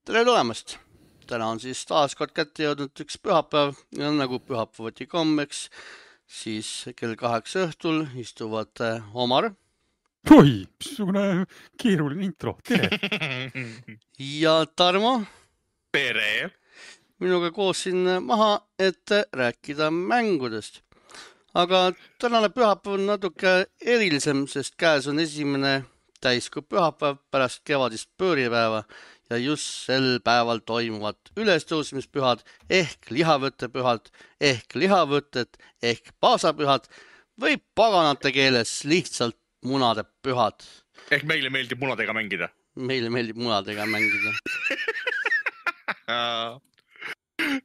Tere tulemast! Täna on siis taas kord kätte jõudnud üks pühapäev ja nagu pühapäevati kommeks, siis kell 8 õhtul istuvad Omar Oi, missugune keeruline intro, tere! ja Tarmo Tere! minuga koos siin maha, et rääkida mängudest. Aga tänane pühapäev on natuke erilisem, sest käes on esimene täiskuu pühapäev pärast kevadist pööripäeva ja just sel päeval toimuvad ülestõusmispühad ehk lihavõttepühad ehk lihavõtted ehk paasapühad või paganate keeles lihtsalt munade pühad. Ehk meile meeldib munadega mängida. Meile meeldib munadega mängida.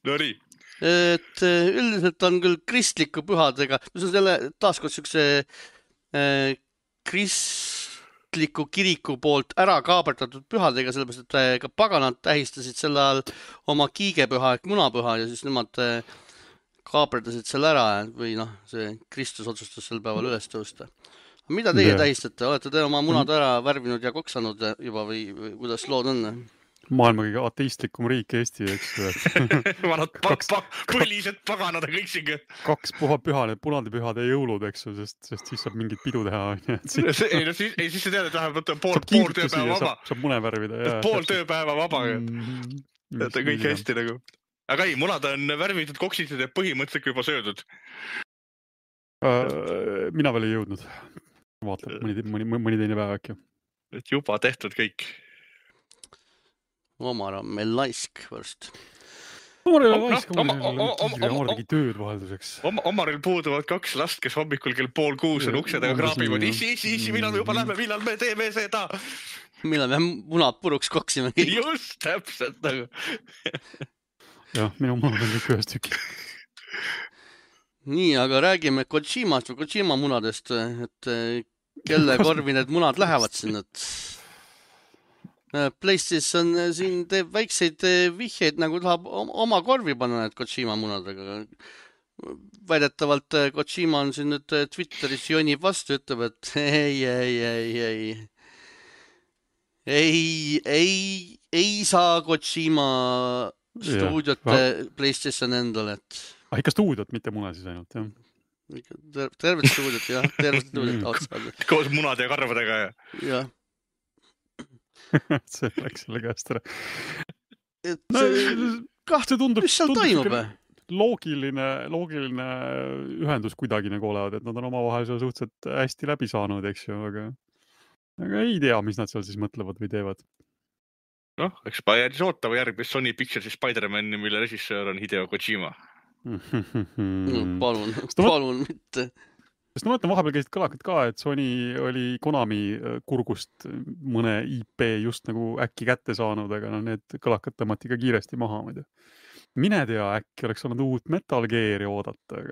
No nii. Et üldiselt on küll kristliku pühadega, mis on selle taaskord siukse kristliku kiriku poolt ära kaaberdatud pühadega, sellepärast, et ka paganad tähistasid sel ajal oma kiigepüha ehk munapüha ja siis nemad kaaberdasid selle ära või noh, see Kristus otsustas sel päeval üles tõusta. Mida teie tähistate? Olete te oma munad ära värvinud ja koksanud juba või kuidas lood on? Maailma kõige ateistlikum riik Eesti, eks. Vanad põlised paganad kõik siin. 2 püha, need punadepühade jõulud, eks, sest siis saab mingit pidu teha. Siis sa tead, et vähemalt pool tööpäeva vaba. Saab mune värvida. Pool tööpäeva vaba. Et on kõik hästi nagu. Aga ei, munad on värvitud, koksitud ja põhimõtteliselt juba söödud. Mina veel ei jõudnud. Vaatab mõni teine päev äkki. Et juba tehtud kõik. Omar on meil laisk võrst. Omar tegi tööd vahelduseks. Omaril puuduvad 2 last, kes hommikul kell 5:30 on uksedega kraabivad. Issi, millal me juba lähme, millal me teeme seda? Millal me munad puruks koksime kõik? Just, täpselt nagu. Jah, minu munad on kõik ühest tükki. Nii, aga räägime Kojimast või Kojima munadest, et kelle korvi need munad lähevad sinna. PlayStation siin teeb väikseid vihjeid, nagu tahab oma korvi panna need Kojima munadega. Väidetavalt Kojima on siin nüüd Twitteris jonib vastu, ütleb, et ei saa Kojima stuudiot PlayStation endale, et... Ikka stuudiot, mitte mune siis ainult, jah. Tervet stuudiot, jah. Tervet stuudiot otsad. Koos munade ja karvadega, jah. See läks selle käest ära. Mis seal toimub? Loogiline ühendus kuidagi nagu olevad, et nad on omavahel seal suhteliselt hästi läbi saanud, eks ju, aga ei tea, mis nad seal siis mõtlevad või teevad. Noh, eks jäädis ootama järgmist Sony Picturesi Spider-Mani, mille režissöör on Hideo Kojima. Palun mitte. Sest ma mõtlen, vahepeal käisid kõlakad ka, et Sony oli Konami kurgust mõne IP just nagu äkki kätte saanud, aga need kõlakad tõmmati ka kiiresti maha. Mine tea, äkki oleks olnud uut Metal Gear'i oodata,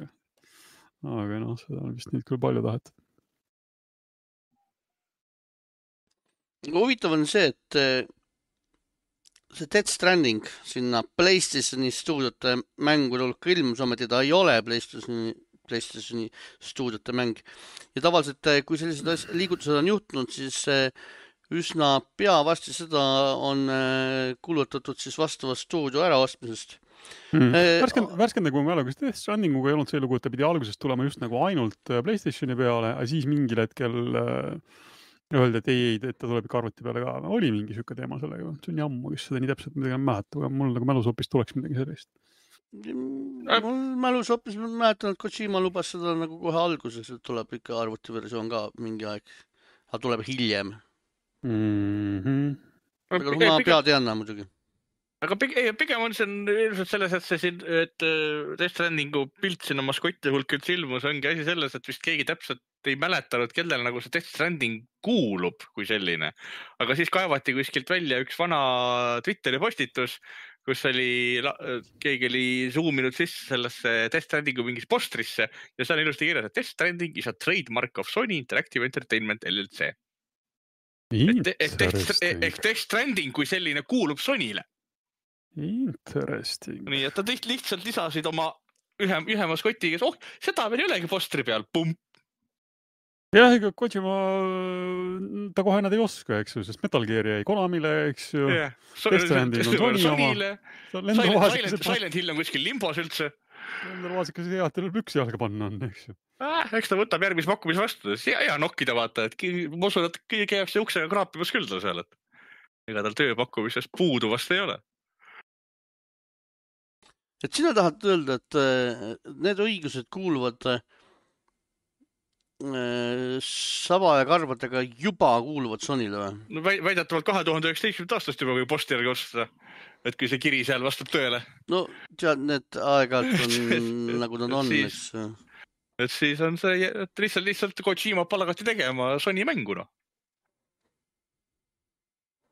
aga noh, seda on vist nüüd küll palju tahetud. Huvitav on see, et see Death Stranding sinna PlayStationi stuudiote mängu tulk ilmus, ometi ta ei ole PlayStationi stuudiote mäng. Ja tavaliselt, kui sellised liigutused on juhtunud, siis üsna pea vasti seda on kulutatud siis vastava stuudio äraostmisest. Värskenda, kui mälu, kas Death Strandinguga ei olnud see lugu, et ta pidi algusest tulema just nagu ainult PlayStationi peale, aga siis mingil hetkel öeldi, et ei, et ta tuleb ikka arvuti peale ka. Oli mingi süke teema sellega. See on jammu, kes seda nii täpselt midagi mäletab, aga mul nagu mälus hoopis tuleks midagi sellist. Mul mälus hoopis mäletan, et Kojima lubas seda nagu kohe alguses, et tuleb ikka arvutiversioon ka mingi aeg. Aga tuleb hiljem. Aga ma pead jäänna muidugi. Aga pigem on see ilmselt selles, et Death Strandingu pilt sinna maskotti hulk üldse ilmus, ongi asi selles, et vist keegi täpselt ei mäletanud, kellel nagu see Death Stranding kuulub kui selline. Aga siis kaevati kuskilt välja üks vana Twitteri postitus, kus keegi oli zoominud sisse sellesse Death Strandingu mingis postrisse ja seal on ilusti kirjas, et Death Stranding is a trademark of Sony Interactive Entertainment LLC. Ehk Death Stranding kui selline kuulub Sonyle. Interesting. Nii, et ta lihtsalt lisasid oma ühe maskoti, kes seda veel ei olegi postri peal, pump. Jah, ega Kojima, ta kohe nad ei oska, eks ju, sest Metal Gear jäi Konamile, eks ju. Death Stranding on Sony oma. Silent Hill on kuskil limbos üldse. Lendel Vaasikas teatril püksi jalga panna on, eks ju. Eks ta võtab järgmise pakkumise vastu. Hea nokkida vaata, et ma usun, et keegi jääb see uksega kraapimas küll ta seal, et ega tal tööpakkumisest puudu vast ei ole. Et sina tahad öelda, et need õigused kuuluvad Saba ja Karbadega juba kuuluvad Sonyle või? No väidetavalt 2019. aastast juba, kui posti järgi osta, et kui see kiri seal vastab tõele. No tead, need aeg-ajalt on nagu nad on, eks. Et siis on see, et lihtsalt Kojima palgati tegema Sony mängu, no.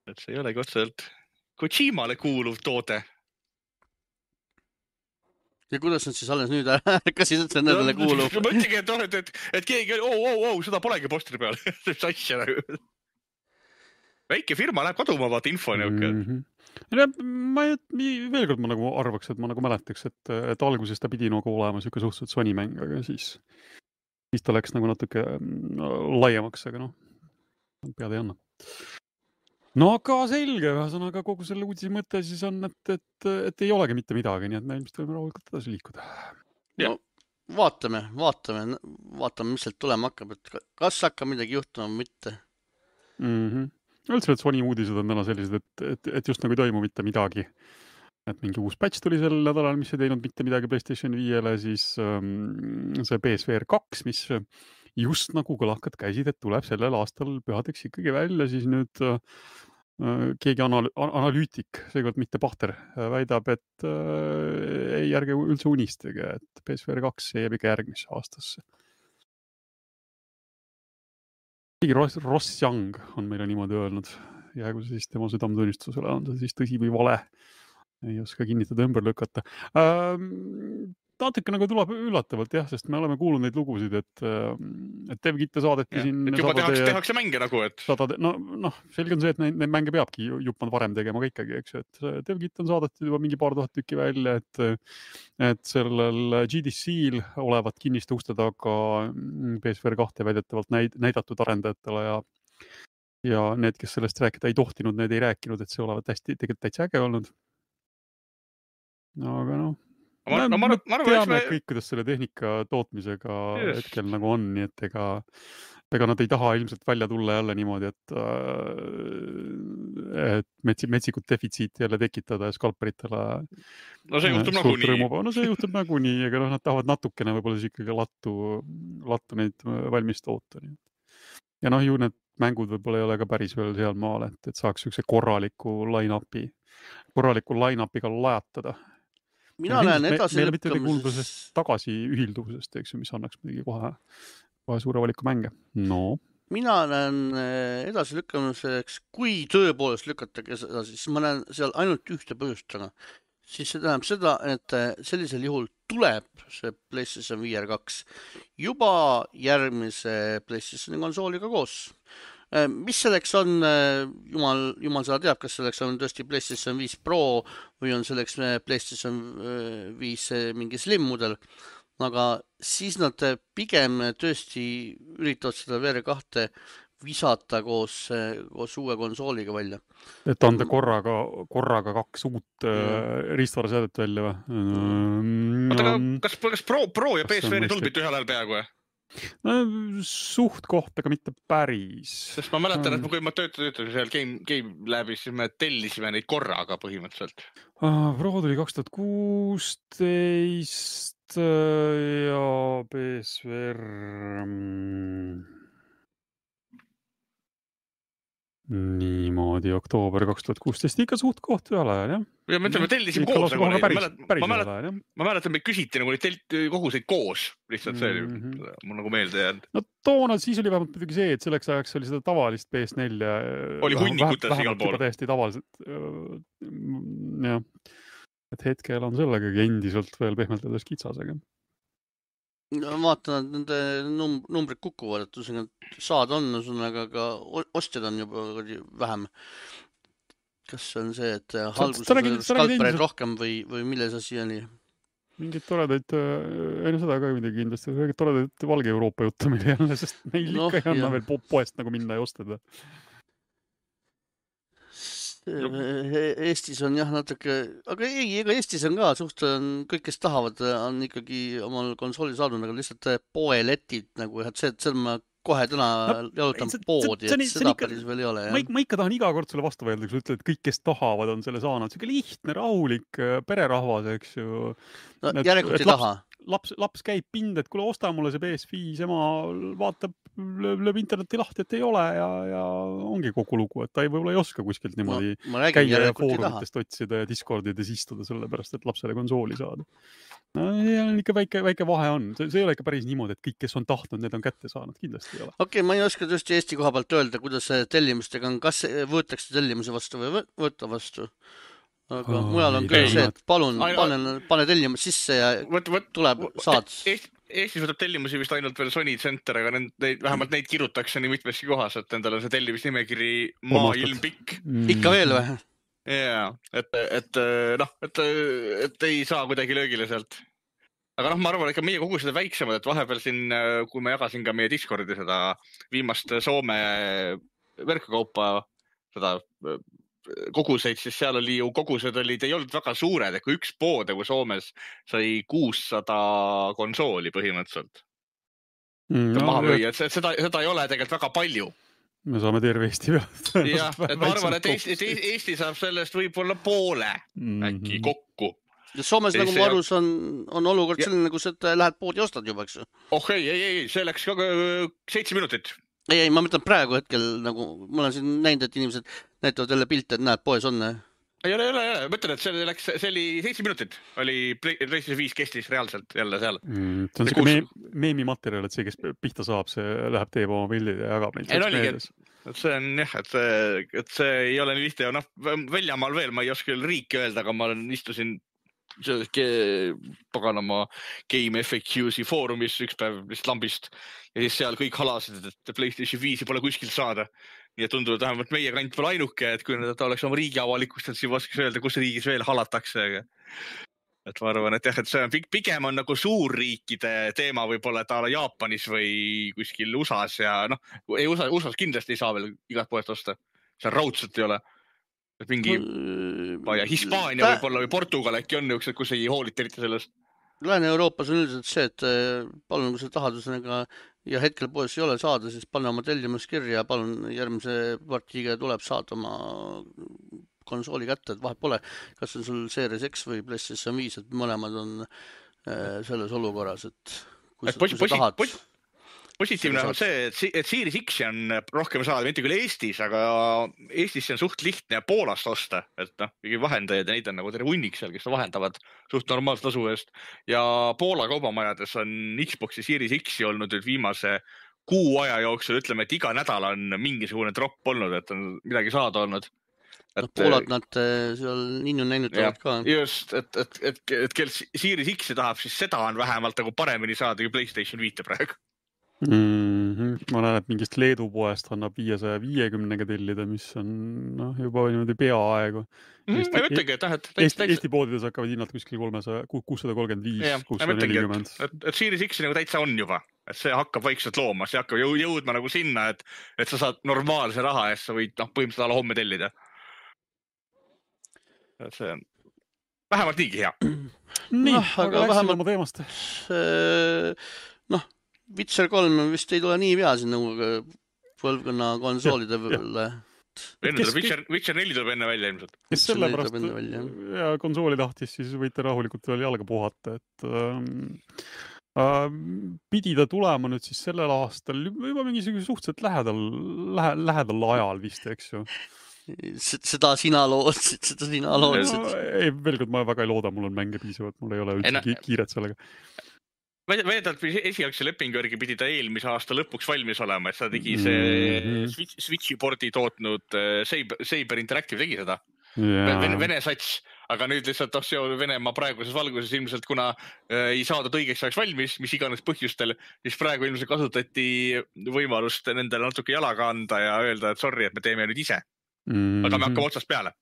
Et see ei olegi otseselt Kojimale kuuluv toode. Ja kuidas nad siis alles nüüd ärkasid, et see nendele kuulub? Ma mõtlengi, et keegi, seda polegi postri peal. See asja nagu. Väike firma läheb kaduma, vaata info niuke. Veel kord ma nagu arvaks, et ma nagu mäletaks, et alguses ta pidi nagu olema siuke suhteliselt Sony mäng, aga siis ta läks nagu natuke laiemaks, aga noh, pead ei anna. No aga selge, ühesõnaga kogu selle uudise mõte siis on, et ei olegi mitte midagi, nii et me ilmselt võime rahulikult edasi liikuda. No vaatame, mis sealt tulema hakkab, et kas hakkab midagi juhtuma või mitte. Üldse, et Sony uudised on täna sellised, et just nagu ei toimu mitte midagi. Et mingi uus patch tuli sel nädalal, mis ei teinud mitte midagi PlayStation 5-le, siis see PSVR 2, mis just nagu kõlakad käisid, et tuleb sellel aastal pühadeks ikkagi välja, siis nüüd keegi analüütik, seekord mitte Pahter, väidab, et ei ärge üldse unistage, et PSVR 2 jääb ikka järgmisse aastasse. Ross Young on meile niimoodi öelnud, jäägu see siis tema südametunnistusele, on see siis tõsi või vale, ei oska kinnitada ümber lükata. Natuke nagu tuleb üllatavalt, jah, sest me oleme kuulnud neid lugusid, et DevKitte saadeti siin... Et juba tehakse mänge nagu, et... No, selge on see, et neid mänge peabki juppand varem tegema ka ikkagi, eks, et DevKitt on saadetud juba mingi paar tuhat tükki välja, et sellel GDC-l olevat kinniste uste taga PSVR 2 väidetavalt näidatud arendajatele ja need, kes sellest rääkida ei tohtinud, need ei rääkinud, et see olevat tegelikult täitsa äge olnud. No, aga noh. Me teame kõik, kuidas selle tehnika tootmisega hetkel nagu on, nii et ega nad ei taha ilmselt välja tulla jälle niimoodi, et metsikud defitsiiti jälle tekitada ja skalperitele. No see juhtub nagunii. No see juhtub nagunii, aga nad tahavad natukene võib-olla siis ikkagi lattu neid valmis toota. Ja noh, ju need mängud võib-olla ei ole ka päris veel seal maal, et saaks üks korraliku line-upiga lajatada. Mina näen edasi lükkamisest tagasi ühilduvusest, eks ju, mis annaks midagi kohe suure valiku mänge. No. Mina näen edasi lükkamiseks, kui tõepoolest lükatage seda, siis ma näen seal ainult ühte põhjust taga. Siis see tähendab seda, et sellisel juhul tuleb see PlayStation VR 2 juba järgmise PlayStation konsooliga koos. Mis selleks on, jumal seda teab, kas selleks on tõesti PlayStation 5 Pro või on selleks PlayStation 5 mingi slim mudel, aga siis nad pigem tõesti üritavad seda VR 2 visata koos uue konsooliga välja. Et anda korraga 2 uut riistvaraseadet välja või? Kas Pro ja PSVR tulbid ühel ajal peaaegu või? No, suht koht, aga mitte päris. Sest ma mäletan, et kui ma töötasin seal Game Labis, siis me tellisime neid korraga põhimõtteliselt. Pro tuli 2016 ja PSVR... Niimoodi, oktoober 2016, ikka suht koht ühel ajal, jah? Ja me tellisime koos. Ma mäletan, me küsiti nagu neid koguseid koos. Lihtsalt see mul nagu meelde jäänud. No toona siis oli vähemalt midagi see, et selleks ajaks oli seda tavalist PS4 oli hunnikutes igal pool. Täiesti tavaliselt. Jah. Et hetkel on sellega endiselt veel pehmeltades kitsas, aga... Vaatan, et nende numbrid kukuvad, et saad on, aga ostjad on juba vähem. Kas on see, et halguses skalpereid rohkem või milles asi oli? Mingid toredaid, ei no seda ka midagi kindlasti, mingid toredaid valge Euroopa juttu meil jälle, sest meil ikka ei anna veel poest nagu minna ja ostada. Eestis on jah natuke, aga ei, ega Eestis on ka suht, kõik, kes tahavad, on ikkagi omal konsooli saadud, aga lihtsalt poeletid nagu, et see ma kohe täna jalutan poodi, et seda päris veel ei ole. Ma ikka tahan iga kord sulle vastu öelda, kui sa ütled, et kõik, kes tahavad, on selle saanud. See on lihtne, rahulik pererahvas, eks ju. No, järelikult ei taha. Laps käib pind, et kuule, osta mulle see PS5, ema vaatab, lööb interneti lahti, et ei ole ja ongi kogu lugu, et ta võib-olla ei oska kuskilt niimoodi käia ja foorumitest otsida ja Discordides istuda sellepärast, et lapsele konsooli saada. No, ikka väike vahe on. See ei ole ikka päris niimoodi, et kõik, kes on tahtnud, need on kätte saanud. Kindlasti ei ole. Okei, ma ei oska just Eesti koha pealt öelda, kuidas tellimustega on, kas võetakse tellimuse vastu või võtta vastu. Aga mujal on küll see, et palun, pane tellimus sisse ja tuleb, saad. Eestis võtab tellimusi vist ainult veel Sony Center, aga vähemalt neid kirutakse nii mitmeski kohas, et endal on see tellimisnimekiri maailm pikk. Ikka veel või? Jaa, et ei saa kuidagi löögile sealt. Aga ma arvan, et meie kogu seda väiksemad, et vahepeal siin, kui ma jagasin ka meie Discordi seda viimast Soome verkkaupa, seda koguseid, siis seal oli ju kogused ei olnud väga suured, et kui üks pood kui Soomes sai 600 konsooli põhimõtteliselt. Maha müüa, et seda ei ole tegelikult väga palju. Me saame terve Eesti pealt. Jah, et ma arvan, et Eesti saab sellest võib-olla poole äkki kokku. Soomes, nagu ma arus, on olukord selline, kus et lähed poodi ja ostad juba, eks ju? Ei, see läks 7 minutit. Ei, ma mõtlen praegu hetkel, nagu ma olen siin näinud, et inimesed näitavad jälle pilte, et näed, poes on. Ei ole. Mõtlen, et see oli 7 minutit, oli PlayStation 5 kestis reaalselt jälle seal. See on siuke meemimaterjal, et see, kes pihta saab, see läheb teeb oma pildid ja jagab neid. Ei no oligi, et see on jah, et see ei ole nii lihtne. Väljamaal veel, ma ei oska küll riiki öelda, aga ma istusin paganama Game FAQs-i foorumis üks päev lihtsalt lambist ja siis seal kõik halasid, et PlayStation 5 pole kuskilt saada. Nii et tundub, et vähemalt meie kant pole ainuke, et kui ta oleks oma riigi avalikustanud, siis vaskas öelda, kus riigis veel halatakse. Et ma arvan, et jah, et see on pigem on nagu suurriikide teema võib-olla taala Jaapanis või kuskil USAs ja USAs kindlasti ei saa veel igat poest osta. See raudselt ei ole. Et mingi Hispaania võib-olla või Portugal äkki on üks, kus ei hoolita eriti sellest. Lääne-Euroopas on üldiselt see, et palun, kui sa tahad ja hetkel poes ei ole saada, siis pane oma tellimus kirja ja palun järgmise partiiga tuleb saada oma konsooli kätte, et vahet pole, kas on sul Series X või PlayStation 5, et mõlemad on selles olukorras, et kui sa tahad. Positiivne on see, et Series X on rohkem saada, mitte küll Eestis, aga Eestis on suht lihtne Poolast osta, et vahendajad ja neid on nagu terve hunnik seal, kes vahendavad suht normaalselt tasu eest. Ja Poola kaubamajades on Xboxi Series X olnud viimase kuu aja jooksul, ütleme, et iga nädal on mingisugune drop olnud, et on midagi saada olnud. Poolad nad seal ninnu näinutavad ka. Just, et kel Series X tahab, siis seda on vähemalt nagu paremini saada kui PlayStation 5 praegu. Ma näen, et mingist Leedu poest annab 550-ga tellida, mis on juba niimoodi peaaegu. Eesti poodides hakkavad hinnad kuskil 635, 640. Et Series X nagu täitsa on juba, et see hakkab vaikselt looma, see hakkab jõudma nagu sinna, et sa saad normaalse raha eest, sa võid põhimõtteliselt alla homme tellida. Et see on vähemalt niigi hea. Nii, aga läksin oma teemast. Witcher 3 vist ei tule nii pea siin nagu põlvkonna konsoolide peale. Witcher 4 tuleb enne välja ilmselt. Kes sellepärast ja konsooli tahtis, siis võite rahulikult veel jalga puhata, et pidi ta tulema nüüd siis sellel aastal juba mingisugune suhteliselt lähedal ajal vist, eks ju. Seda sina loodsid. Ei, veel kord ma väga ei looda, mul on mänge piisavalt, mul ei ole üldse kiiret sellega. Väidetavalt esialgse lepingu järgi pidi ta eelmise aasta lõpuks valmis olema, et seda tegi see Switchi pordi tootnud Saber Interactive tegi seda. Vene sats, aga nüüd lihtsalt Venemaa praeguses valguses ilmselt, kuna ei saadud õigeks ajaks valmis, mis iganes põhjustel, siis praegu ilmselt kasutati võimalust nendele natuke jalaga anda ja öelda, et sorry, et me teeme nüüd ise. Aga me hakkame otsast peale.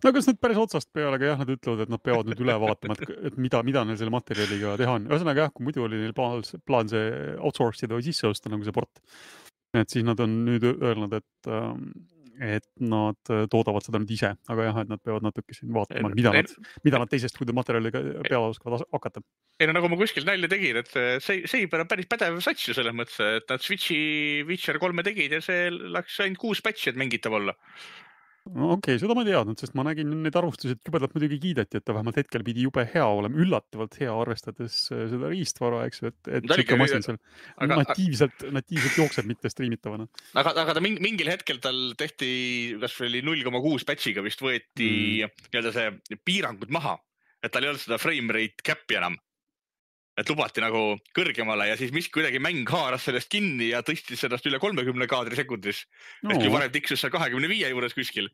No kas nüüd päris otsast peale, aga jah, nad ütlevad, et nad peavad nüüd üle vaatama, et mida neil selle materjaliga teha on. Ühesõnaga jah, kui muidu oli neil plaan see outsource ida või sisse osta nagu see port, et siis nad on nüüd öelnud, et nad toodavad seda nüüd ise, aga jah, et nad peavad natuke siin vaatama, mida nad teisest materjaliga peale oskavad hakata. Ei no nagu ma kuskil nalja tegin, et Saber on päris pädev sats ju selles mõttes, et nad Switchi Witcher 3 tegid ja see läks ainult 6 patchi, et mängitav olla. No okei, seda ma ei teadnud, sest ma nägin neid arvustusi, et jubedalt muidugi kiideti, et ta vähemalt hetkel pidi jube hea olema, üllatavalt hea arvestades seda riistvara, eks ju, et siuke masin seal natiivselt jookseb mitte striimitavana. Aga ta mingil hetkel tal tehti, kas oli 0,6 patchiga vist võeti nii-öelda see piirangud maha, et tal ei olnud seda frame rate cap'i enam. Et lubati nagu kõrgemale ja siis miski kuidagi mäng haaras sellest kinni ja tõstis sellest üle 30 kaadri sekundis. Et kui varem tiksus seal 25 juures kuskil.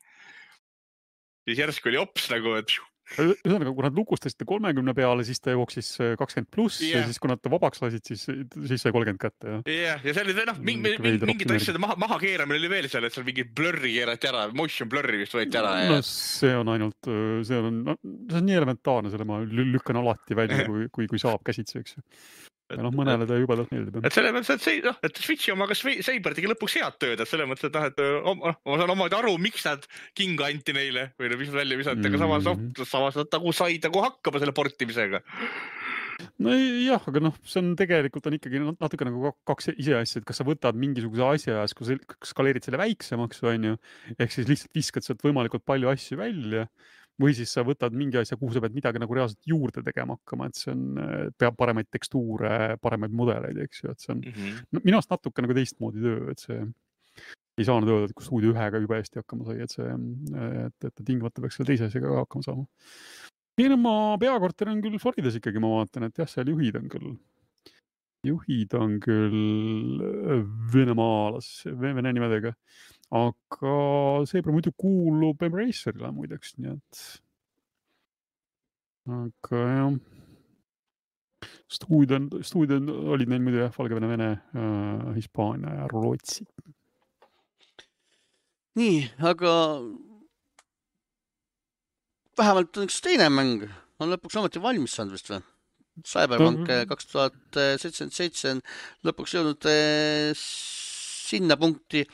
Siis järsku oli ops nagu, et... Ühesõnaga, kui nad lukustasid 30 peale, siis ta jooksis 20+, ja siis kui nad vabaks lasid, siis sai 30 kätte. Ja see oli mingid asjade maha keeramine oli veel seal, et seal mingi blurri keerati ära, motion blurri vist võeti ära. No see on ainult, see on nii elementaarne, selle ma lükkan alati välja, kui saab käsitsi, eks ju. Ja mõnele ta jubedalt meeldib. Et selle mõttes, et Switchi oma kas Saber tegi lõpuks head tööd, et selle mõttes, et ma saan omaid aru, miks nad kinga anti neile või mis välja visati, aga samas nad nagu said hakkama selle portimisega. No jah, aga see on tegelikult on ikkagi natuke nagu kaks ise asja, et kas sa võtad mingisuguse asja ja skaleerid selle väiksemaks, on ju, ehk siis lihtsalt viskad sealt võimalikult palju asju välja, või siis sa võtad mingi asja, kuhu sa pead midagi nagu reaalselt juurde tegema hakkama, et see on, peab paremaid tekstuure, paremaid mudeleid, eks ju, et see on minu arust natuke nagu teistmoodi töö, et see ei saanud öelda, et kui stuudio ühega juba hästi hakkama sai, et tingimata peaks selle teise asjaga hakkama saama. Oma peakorter on küll Floridas ikkagi, ma vaatan, et jah, seal juhid on küll vene nimedega. Aga Saber muidu kuulub Embracerile muideks, nii et aga jah, stuudion olid neil muidu jah, Valgevene, Vene, Hispaania ja Rootsi. Nii, aga vähemalt on üks teine mäng, on lõpuks ometi valmis saanud vist või? Cyberpunk 2077 on lõpuks jõudnud sinna punkti,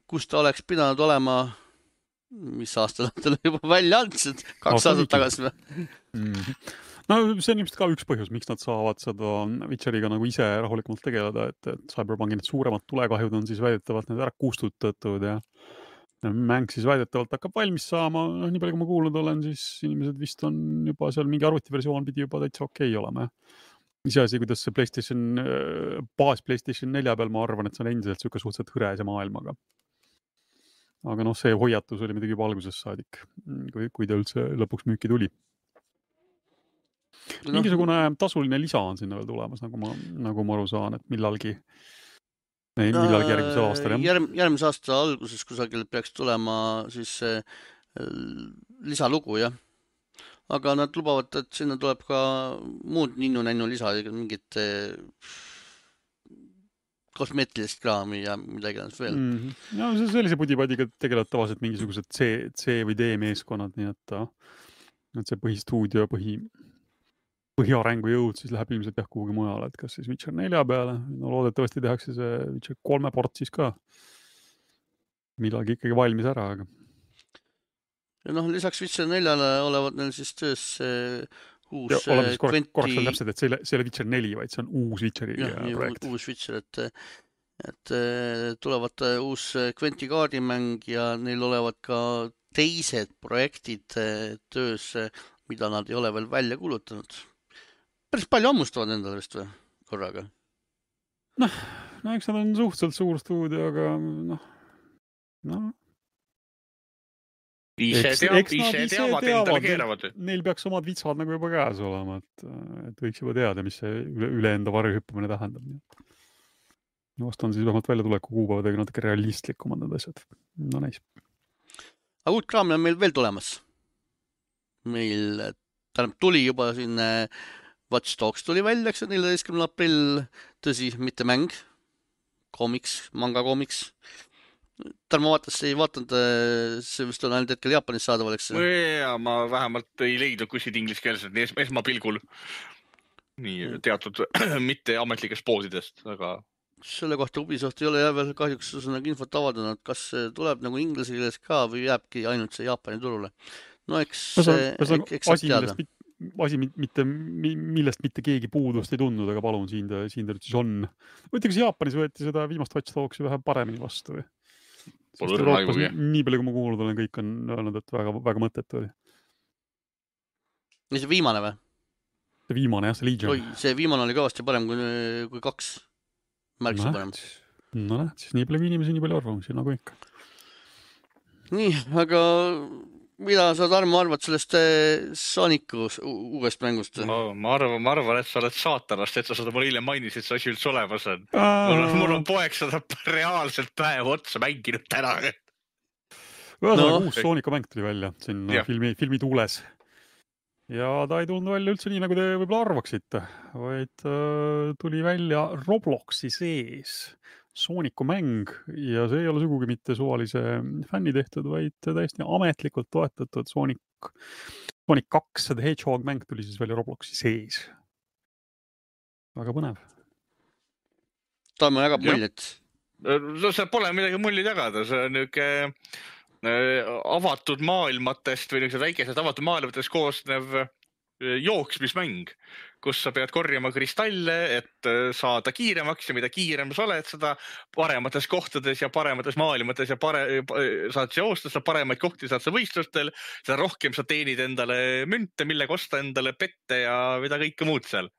kus ta oleks pidanud olema, mis aastal ta juba välja andsid, 2 aastat tagasi või? No see on ilmselt ka üks põhjus, miks nad saavad seda Witcheriga nagu ise rahulikumalt tegeleda, et Cyberpunki need suuremad tulekahjud on siis väidetavalt need ära kustutatud ja mäng siis väidetavalt hakkab valmis saama, nii palju kui ma kuulnud olen, siis inimesed vist on juba seal mingi arvutiversioon pidi juba täitsa okei olema. Iseasi, kuidas see PlayStation 4 peal, ma arvan, et see on endiselt siuke suhteliselt hõrese maailmaga. Aga see hoiatus oli midagi juba algusest saadik, kui ta üldse lõpuks müüki tuli. Mingisugune tasuline lisa on sinna veel tulemas, nagu ma aru saan, et millalgi järgmisel aastal. Järgmise aasta alguses kusagil peaks tulema siis lisalugu, jah. Aga nad lubavad, et sinna tuleb ka muud ninnu-nännu lisa, mingit kosmeetilist kraami ja midagi veel. No sellise pudipadiga tegelevad tavaliselt mingisugused C või D meeskonnad, nii et see põhistuudio, põhiarengu jõud siis läheb ilmselt kuhugi mujale, et kas siis Witcher 4 peale, loodetavasti tehakse see Witcher 3 port siis ka millalgi ikkagi valmis ära, aga ja lisaks Witcher 4-le olevat neil siis töös uus korraks on täpselt, et see ei ole Witcher 4, vaid see on uus Witcheri projekt. Uus Witcher, et tulevad uus Quenti kaardimäng ja neil olevat ka teised projektid töös, mida nad ei ole veel välja kuulutanud. Päris palju hammustavad endale vist või korraga? No eks nad on suhteliselt suur stuudio, aga Ise teavad endale keeravad. Neil peaks omad vitsad nagu juba käes olema, et võiks juba teada, mis see üle enda varjuhüppamine tähendab. Vast on siis vähemalt välja tuleku kuupäevadega natuke realistlikumad need asjad. No näis. Aga uut kraami on meil veel tulemas. Meil tuli juba siin Watch Dogs tuli välja, 14. aprill, tõsi, mitte mäng, manga koomiks. Tarmo ei vaatanud, see vist on ainult hetkel Jaapanis saadaval, eks? Ja ma vähemalt ei leidnud kuskilt ingliskeelselt nii esmapilgul. Nii teatud mitte ametlikest poodidest, aga... Selle kohta Ubisoft ei ole veel kahjuks infot avaldanud, kas see tuleb nagu inglise keeles ka või jääbki ainult see Jaapani turule. No eks saab teada. Asi, millest mitte keegi puudust ei tundnud, aga palun, siin ta siis on. Võite, kas Jaapanis võeti seda viimast Watch Dogsi vähe paremini vastu või? Sest Euroopas nii palju, kui ma kuulnud olen, kõik on öelnud, et väga mõttetu oli. Ja see viimane või? See viimane, jah, see Legion. See viimane oli kõvasti parem kui 2. Märksa parem. No näed, siis nii palju inimesi, nii palju arvamusi, nagu ikka. Nii, aga mida sa, Tarmo, arvad sellest Sonicu uuest mängust? Ma arvan, et sa oled saatanast, et sa seda mulle hiljem mainisid, see asi üldse olemas on. Mul on poeg seda reaalselt päev otsa mänginud täna. Uus Sonicu mäng tuli välja siin filmi tuules. Ja ta ei tulnud välja üldse nii, nagu te võib-olla arvaksite, vaid tuli välja Robloxi sees Sonicu mäng ja see ei ole sugugi mitte suvalise fänni tehtud, vaid täiesti ametlikult toetatud Sonic 2 The Hedgehog mäng tuli siis välja Robloxi sees. Väga põnev. Tarmo jagab muljet. No see pole midagi mulli tagada, see on niisugune avatud maailmatest või niisugused väikesed avatud maailmatest koosnev jooksmismäng, kus sa pead korjama kristalle, et saada kiiremaks ja mida kiirem sa oled, seda paremates kohtades ja paremates maailmates ja saad joosta, seda paremaid kohti saad sa võistlustel, seda rohkem sa teenid endale münte, mille kosta endale pette ja mida kõike muud seal.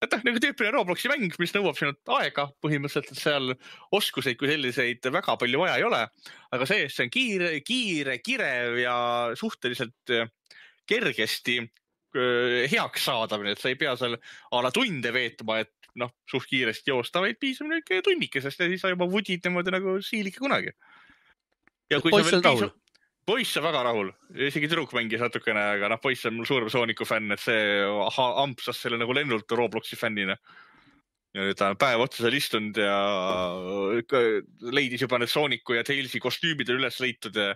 Et nagu tüüpiline Robloxi mäng, mis nõuab sinult aega põhimõtteliselt, et seal oskuseid kui selliseid väga palju vaja ei ole, aga see on kirev ja suhteliselt kergesti heaks saadamine, et sa ei pea seal ala tunde veetma, et suht kiiresti joosta, vaid piisab tunnikesest ja siis sa juba vudid niimoodi nagu siilike kunagi. Ja kui sa veel piisab... Poiss on väga rahul, isegi tüdruk mängis natukene, aga poiss on mul suurem Sooniku fänn, et see ampsas selle nagu lennult Robloxi fännina. Ja nüüd ta on päev otsa seal istunud ja leidis juba need Sooniku ja Tailsi kostüümid üles leitud ja...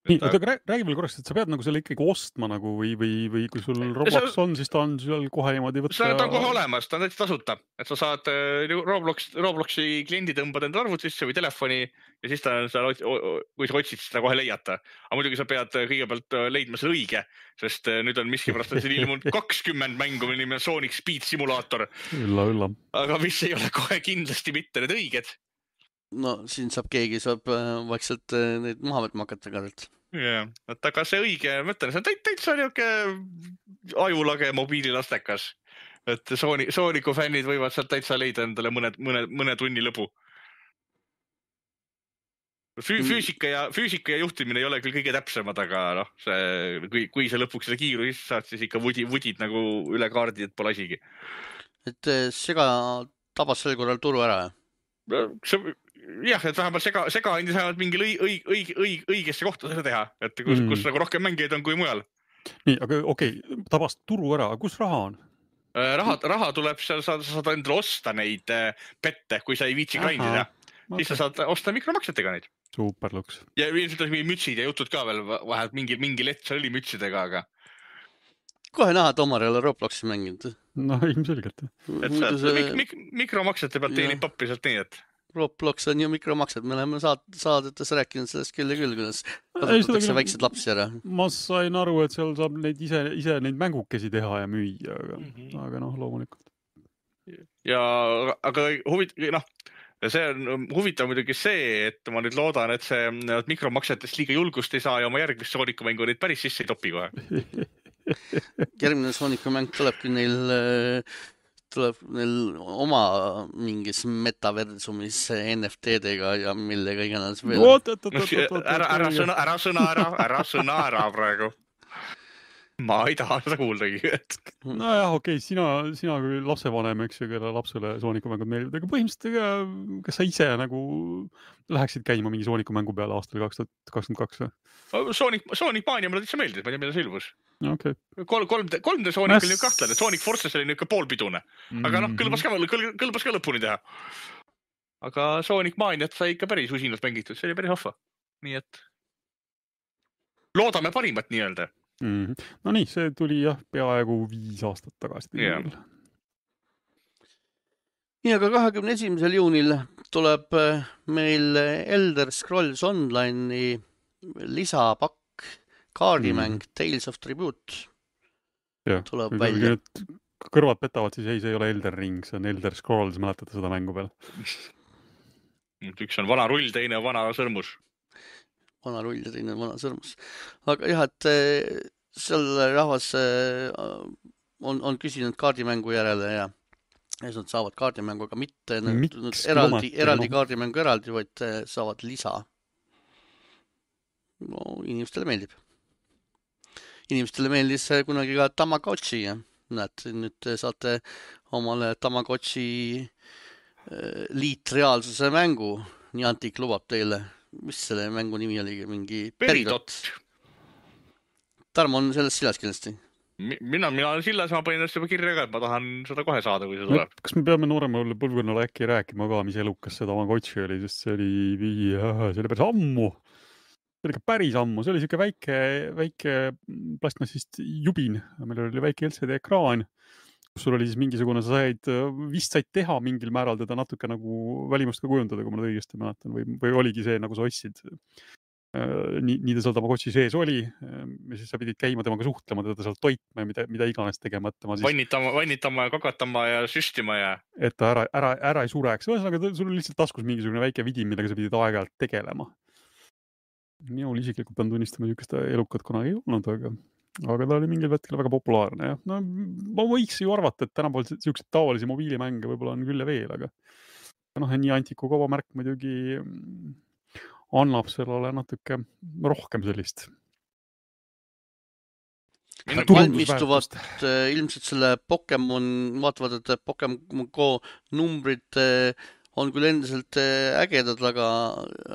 Nii, räägi veel korraks, et sa pead nagu selle ikkagi ostma nagu või kui sul Roblox on, siis ta on seal kohe niimoodi võtta... Ta on kohe olemas, ta on täitsa tasuta, et sa saad Robloxi kliendi tõmbad enda arvutisse või telefoni ja siis ta on seal, kui sa otsid, siis ta kohe leiata. Aga muidugi sa pead kõigepealt leidma selle õige, sest nüüd on miskipärast, et siin ilmunud 20 mängu, mille nimi on Sonic Speed Simulator. Ülla. Aga mis ei ole kohe kindlasti mitte need õiged. No siin keegi saab vaikselt neid maha võtma hakata kadelt. Ja, et aga see õige, ma ütlen, see on täitsa niisugune ajulage mobiililastekas. Et Sooniku fännid võivad sealt täitsa leida endale mõne tunni lõbu. Füüsika ja juhtimine ei ole küll kõige täpsemad, aga kui sa lõpuks seda kiiru saad, siis ikka vudid nagu üle kaardi, et pole asigi. Et Sega tabas sel korral turu ära? Jah, et vähemalt Sega andis vähemalt mingi õigesse kohta seda teha, et kus nagu rohkem mängijaid on kui mujal. Nii, aga okei, tabast turu ära, kus raha on? Raha tuleb seal, sa saad endale osta neid pette, kui sa ei viitsi grindida. Siis sa saad osta mikromaksetega neid. Superluks. Ja ilmselt mingi mütsid ja jutud ka veel, vähemalt mingi lett seal oli mütsidega, aga... Kohe näha, et Omar ei ole Robloxi mänginud. No, ilmselgelt. Mikromaksete pealt teenib pappi sealt nii, et... Roblox on ju mikromaksed, me oleme saadetes rääkinud sellest küll ja küll, kuidas kasutatakse väiksed lapsi ära. Ma sain aru, et seal saab neid ise neid mängukesi teha ja müüa, aga loomulikult. Ja, aga see on huvitav muidugi see, et ma nüüd loodan, et see mikromaksetest liiga julgust ei saa ja oma järgmist Sooniku mängu neid päris sisse ei topi kohe. Järgmine Sooniku mäng tulebki tuleb neil oma mingis metaversumis NFT-dega ja millega iganes veel. Ära sõna ära praegu. Ma ei taha seda kuuldagi. Nojah, okei, sina kui lapsevanem, eks ju, kelle lapsele Sooniku mängud meeldivad, aga põhimõtteliselt kas sa ise nagu läheksid käima mingi Sooniku mängu peale aastal 2022 või? Sonic Mania mulle täitsa meeldis, ma ei tea, mida see ilmus. Okay. 3D Sonic oli kahtlane, Sonic Forces oli niisugune poolpidune, aga kõlbas ka lõpuni teha. aga Sonic Maniat sai ikka päris usinalt mängitud, see oli päris haffa. Nii et loodame parimat nii-öelda. No nii, see tuli jah peaaegu 5 aastat tagasi. Yeah. Nii, aga 21. juunil tuleb meil Elder Scrolls Online'i lisapakk, kaardimäng Tales of Tribute. Ja, tuleb välja. Kõrvad petavad, siis ei, see ei ole Elder Ring, see on Elder Scrolls, mäletate seda mängu peal? Üks on vana rull, teine on vana sõrmus. Vana rull ja teine on vana sõrmus. Aga jah, et seal rahvas on küsinud kaardimängu järele ja nad saavad kaardimängu, aga mitte eraldi kaardimängu eraldi, vaid saavad lisa. No, inimestele meeldib. Inimestele meeldis kunagi ka Tamagotchi ja näed, nüüd saate omale Tamagotchi liitreaalsuse mängu. Niantic lubab teile. Mis selle mängu nimi oli? Mingi Peridot. Tarmo on sellest sillas kindlasti. Mina olen sillas, ma panin juba kirja ka, et ma tahan seda kohe saada, kui see tuleb. Kas me peame nooremale põlvkonnale äkki rääkima ka, mis elukas see Tamagotchi oli, sest see oli päris ammu. See oli ikka päris ammu, see oli siuke väike plastmassist jubin, meil oli väike LCD-ekraan, kus sul oli siis mingisugune, sa said teha mingil määral teda natuke nagu välimust ka kujundada, kui ma nüüd õigesti mäletan, või oligi see, nagu sa ostsid. Nii ta seal Tamagotchi sees oli ja siis sa pidid käima temaga suhtlema, teda seal toitma ja mida iganes tegema. Vannitama ja kakatama ja süstima ja... Et ta ära ei sureks. Ühesõnaga, sul oli lihtsalt taskus mingisugune väike vidin, millega sa pidid aeg-ajalt tegelema. Minul isiklikult pean tunnistama, niisugust elukat kunagi ei olnud, aga ta oli mingil hetkel väga populaarne. Ja. No, ma võiks ju arvata, et tänapäeval niisugused tavalisi mobiilimänge võib-olla on küll ja veel, aga Nianticu kaubamärk muidugi annab sellele natuke rohkem sellist. Valmistuvad ilmselt selle Pokemon, vaatavad, et Pokemon Go numbrid on küll endiselt ägedad, aga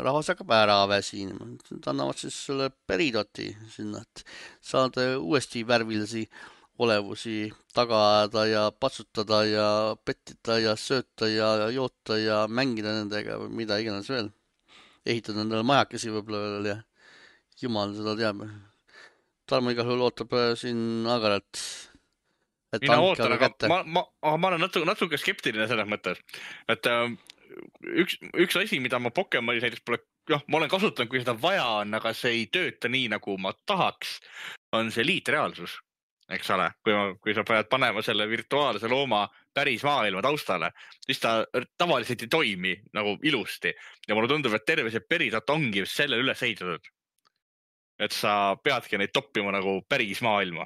rahvas hakkab ära väsinema. Nad annavad siis selle Peridoti sinna, et saada uuesti värvilisi olevusi taga ajada ja patsutada ja pettida ja sööta ja joota ja mängida nendega või mida iganes veel. Ehitada endale majakesi võib-olla veel ja jumal seda teab. Tarmo igal juhul ootab siin agaralt, et mina ootan, aga ma olen natuke skeptiline selles mõttes, et üks asi, mida ma Pokemonis näiteks pole, ma olen kasutanud, kui seda vaja on, aga see ei tööta nii, nagu ma tahaks, on see liitreaalsus, eks ole, kui sa pead panema selle virtuaalse looma päris maailma taustale, siis ta tavaliselt ei toimi nagu ilusti. Ja mulle tundub, et terve see Peridot ongi selle üles ehitatud. Et sa peadki neid toppima nagu päris maailma.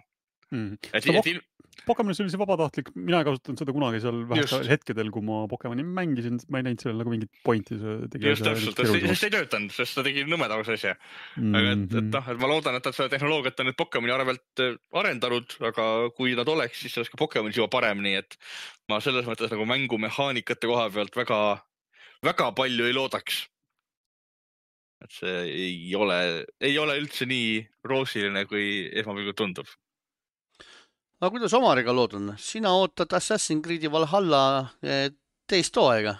Pokemonis oli see vabatahtlik, mina ei kasutanud seda kunagi seal vähesel hetkedel, kui ma Pokemoni mängisin, ma ei näinud sellel nagu mingit pointi. Just täpselt, sest ei töötanud, sest ta tegi nõmedavus asja. Aga et ma loodan, et seda tehnoloogiat on nüüd Pokemoni arvelt arendanud, aga kui nad oleks, siis oleks ka Pokemonis juba parem, nii et ma selles mõttes nagu mängumehaanikate koha pealt väga palju ei loodaks. Et see ei ole üldse nii roosiline, kui esmapilgul tundub. Aga kuidas Omariga lood on? Sina ootad Assassin's Creed'i Valhalla teist hooaega?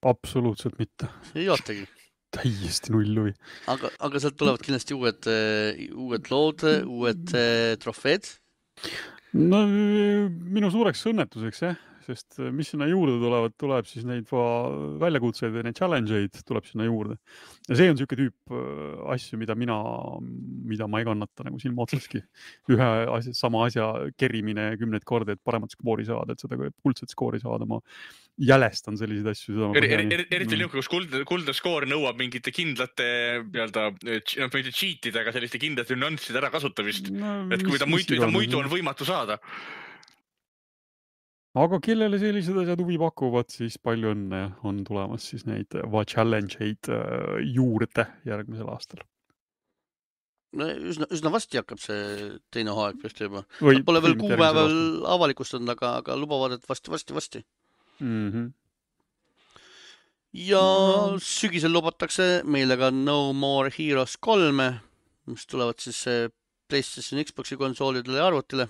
Absoluutselt mitte. Ei ootagi? Täiesti null huvi. Aga sealt tulevad kindlasti uued lood, uued trofeed? No minu suureks õnnetuseks, sest mis sinna juurde tuleb siis neid väljakutseid ja neid challenge'id tuleb sinna juurde. Ja see on siuke tüüp asju, mida ma ei kannata nagu silma otsaski. Ühe sama asja kerimine 10 korda, et paremat skoori saada, et seda kuldset skoori saada. Ma jälestan selliseid asju. Eriti niuke, kus kuldne skoor nõuab mingite kindlate cheatidega selliste kindlate nüansside ära kasutamist. Et kui ta muidu on võimatu saada. Aga kellele sellised asjad huvi pakuvad, siis palju õnne on tulemas siis neid challenge'id juurde järgmisel aastal. No, üsna vasti hakkab see teine hooaeg vist juba. Pole veel kuupäeval avalikustanud, aga lubavad, et vasti. Ja sügisel lubatakse meile ka No More Heroes 3, mis tulevad siis PlayStation Xboxi konsoolidele ja arvutile.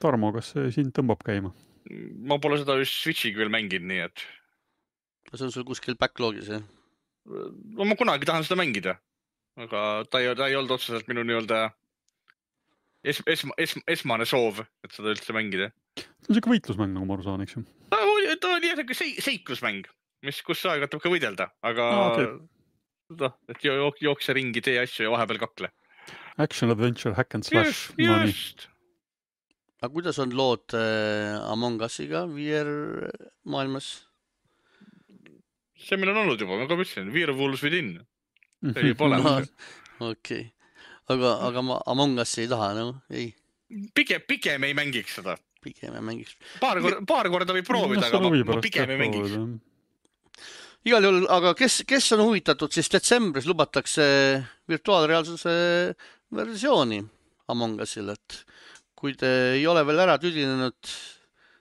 Tarmo, kas see sind tõmbab käima? Ma pole seda Switchiga veel mänginud, nii et... see on sul kuskil backlogis, jah? Ma kunagi tahan seda mängida, aga ta ei olnud otseselt minu nii-öelda esmane soov, et seda üldse mängida. See on siuke võitlusmäng, nagu ma aru saan, eks ju? Ta oli jällegi seiklusmäng, kus sa aeg-ajalt ka võidelda, aga et jookse ringi, tee asju ja vahepeal kakle. Action, adventure, hack and slash. Just. Aga kuidas on lood Among Usiga VR maailmas? See meil on olnud juba, ma ka mõtlesin, Werewolves Within. See ei pole. Okei. Aga ma Among Usi ei taha, no ei. Pigem ei mängiks seda. Pigem ei mängiks. Paar korda võib proovida, aga ma pigem ei mängiks. Igal juhul, aga kes on huvitatud, siis detsembris lubatakse virtuaalreaalsuse versiooni Among Usil, et kui te ei ole veel ära tüdinenud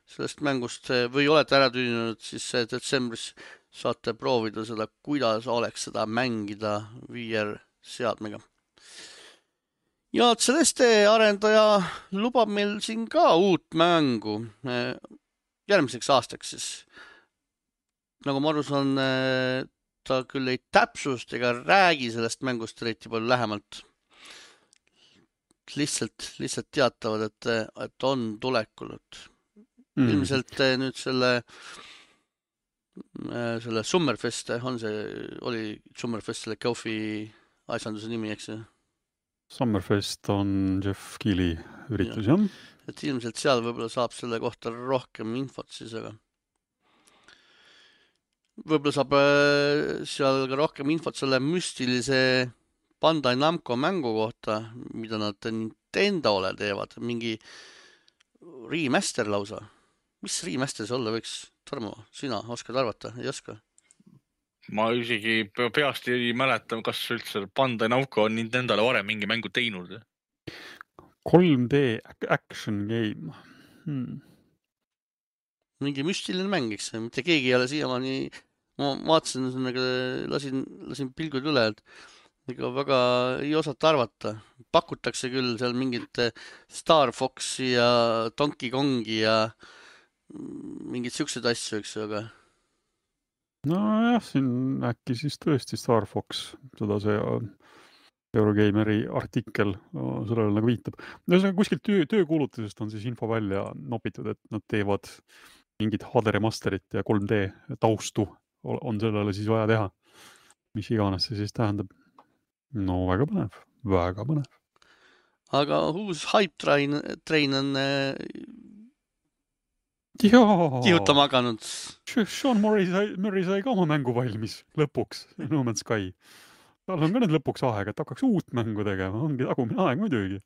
sellest mängust või olete ära tüdinenud, siis detsembris saate proovida seda, kuidas oleks seda mängida VR seadmega. Ja Celeste arendaja lubab meil siin ka uut mängu järgmiseks aastaks siis. Nagu ma aru saan, ta küll ei täpsust ega räägi sellest mängust eriti palju lähemalt. Lihtsalt teatavad, et on tulekul. Ilmselt nüüd selle Summerfest, oli Summerfest selle Kofi asjanduse nimi, eks ju? Summerfest on Jeff Keighley üritus, jah? Et ilmselt seal võib-olla saab selle kohta rohkem infot siis, aga võib-olla saab seal ka rohkem infot selle müstilise Bandai Namco mängu kohta, mida nad Nintendole teevad, mingi remaster lausa. Mis remaster see olla võiks? Tarmo, sina oskad arvata? Ei oska? Ma isegi peast ei mäleta, kas üldse Bandai Namco on Nintendole varem mingi mängu teinud. 3D action game. Mingi müstiline mäng, eks. Mitte keegi ei ole siiamaani, ma vaatasin, lasin pilgud üle, et ega väga ei osata arvata. Pakutakse küll seal mingit Star Foxi ja Donkey Kongi ja mingid siuksed asju, eks, aga no jah, siin äkki siis tõesti Star Fox, seda see Eurogameri artikkel sellele nagu viitab. Kuskilt töökuulutusest on siis info välja nopitud, et nad teevad mingid HD remasterit ja 3D taustu on sellele siis vaja teha. Mis iganes see siis tähendab. No väga põnev, väga põnev. Aga uus Hype Train on kihutama hakanud. Sean Murray sai ka oma mängu valmis lõpuks, No Man's Sky. Tal on ka nüüd lõpuks aeg, et hakkaks uut mängu tegema. Ongi tagumine aeg muidugi.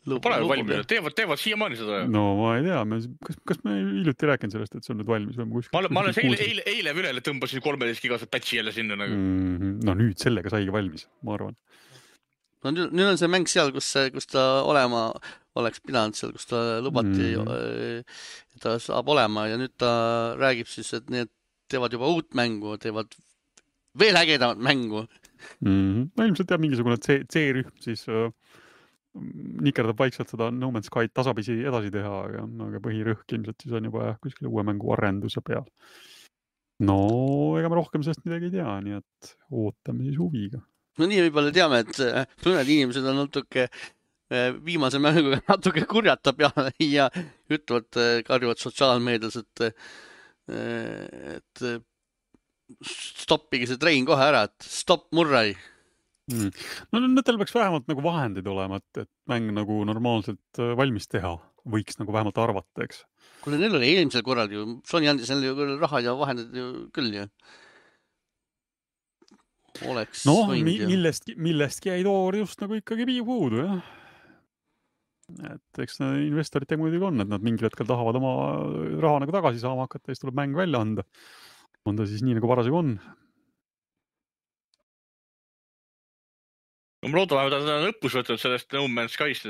Pole valmis, teevad siiamaani seda. No ma ei tea, kas me hiljuti rääkinud sellest, et see on nüüd valmis? Ma alles eile ülele tõmbasin 13 gigased patchi jälle sinna. No nüüd sellega saigi valmis, ma arvan. No nüüd on see mäng seal, kus ta olema oleks pidanud seal, kus ta lubati, et ta saab olema ja nüüd ta räägib siis, et need teevad juba uut mängu, teevad veel ägedamat mängu. No ilmselt jah, mingisugune C-rühm siis nikerdab vaikselt seda No Man's Sky tasapisi edasi teha, aga põhirõhk ilmselt siis on juba kuskil uue mängu arenduse peal. No ega me rohkem sellest midagi ei tea, nii et ootame siis huviga. No nii võib-olla teame, et mõned inimesed on natuke viimase mänguga natuke kurjata peale ja ütlevad, karjuvad sotsiaalmeedias, et stoppige see trein kohe ära, et stopp Murray. No nendel peaks vähemalt nagu vahendid olema, et mäng nagu normaalselt valmis teha. Võiks nagu vähemalt arvata, eks. Kuule, neil oli eelmisel korral ju, Sony andis neil ju raha ja vahendid ju küll ju. Oleks millestki jäi toor just nagu ikkagi puudu, jah. Et eks investorid muidugi on, et nad mingil hetkel tahavad oma raha nagu tagasi saama hakata ja siis tuleb mäng välja anda. On ta siis nii nagu parasjagu on. Ma loodan, et ta on õppus võtnud sellest No Man's Sky'st,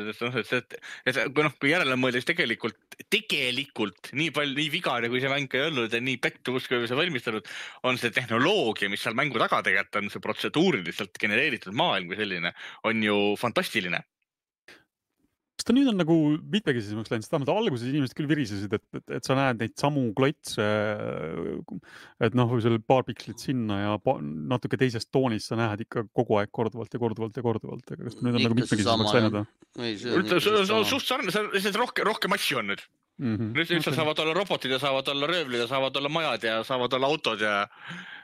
et kui järele mõeldes tegelikult nii vigane, kui see mäng ei olnud ja nii pettumus, kui see valmistanud, on see tehnoloogia, mis seal mängu taga tegelikult on, see protseduuriliselt genereeritud maailm kui selline, on ju fantastiline. ta nüüd on nagu mitmekesisemaks läinud, sest alguses inimesed küll virisesid, et sa näed neid samu klotse, et noh, seal paar pikslit sinna ja natuke teisest toonist sa näed ikka kogu aeg korduvalt. Aga kas ta nüüd on nagu mitmekesisemaks läinud? Suht sarne, rohkem asju on nüüd. Nüüd sa saavad olla robotid ja saavad olla röövlid ja saavad olla majad ja saavad olla autod ja...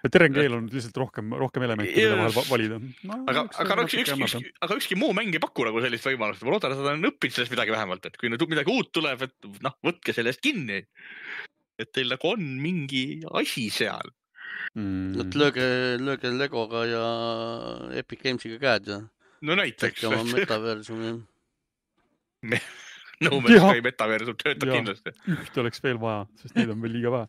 Terengeel on lihtsalt rohkem elemente, mida vahel valida. Aga ükski muu mäng ei paku nagu sellist võimalust. Ma loodan, et seda on õppinud sellest midagi vähemalt, et kui midagi uut tuleb, et võtke sellest kinni. Et teil nagu on mingi asi seal. Et lööge Legoga ja Epic Gamesiga käed ja... No näiteks. Oma metaversumi. No Man's Sky metaversum töötab kindlasti. Üht oleks veel vaja, sest neid on veel liiga vähe.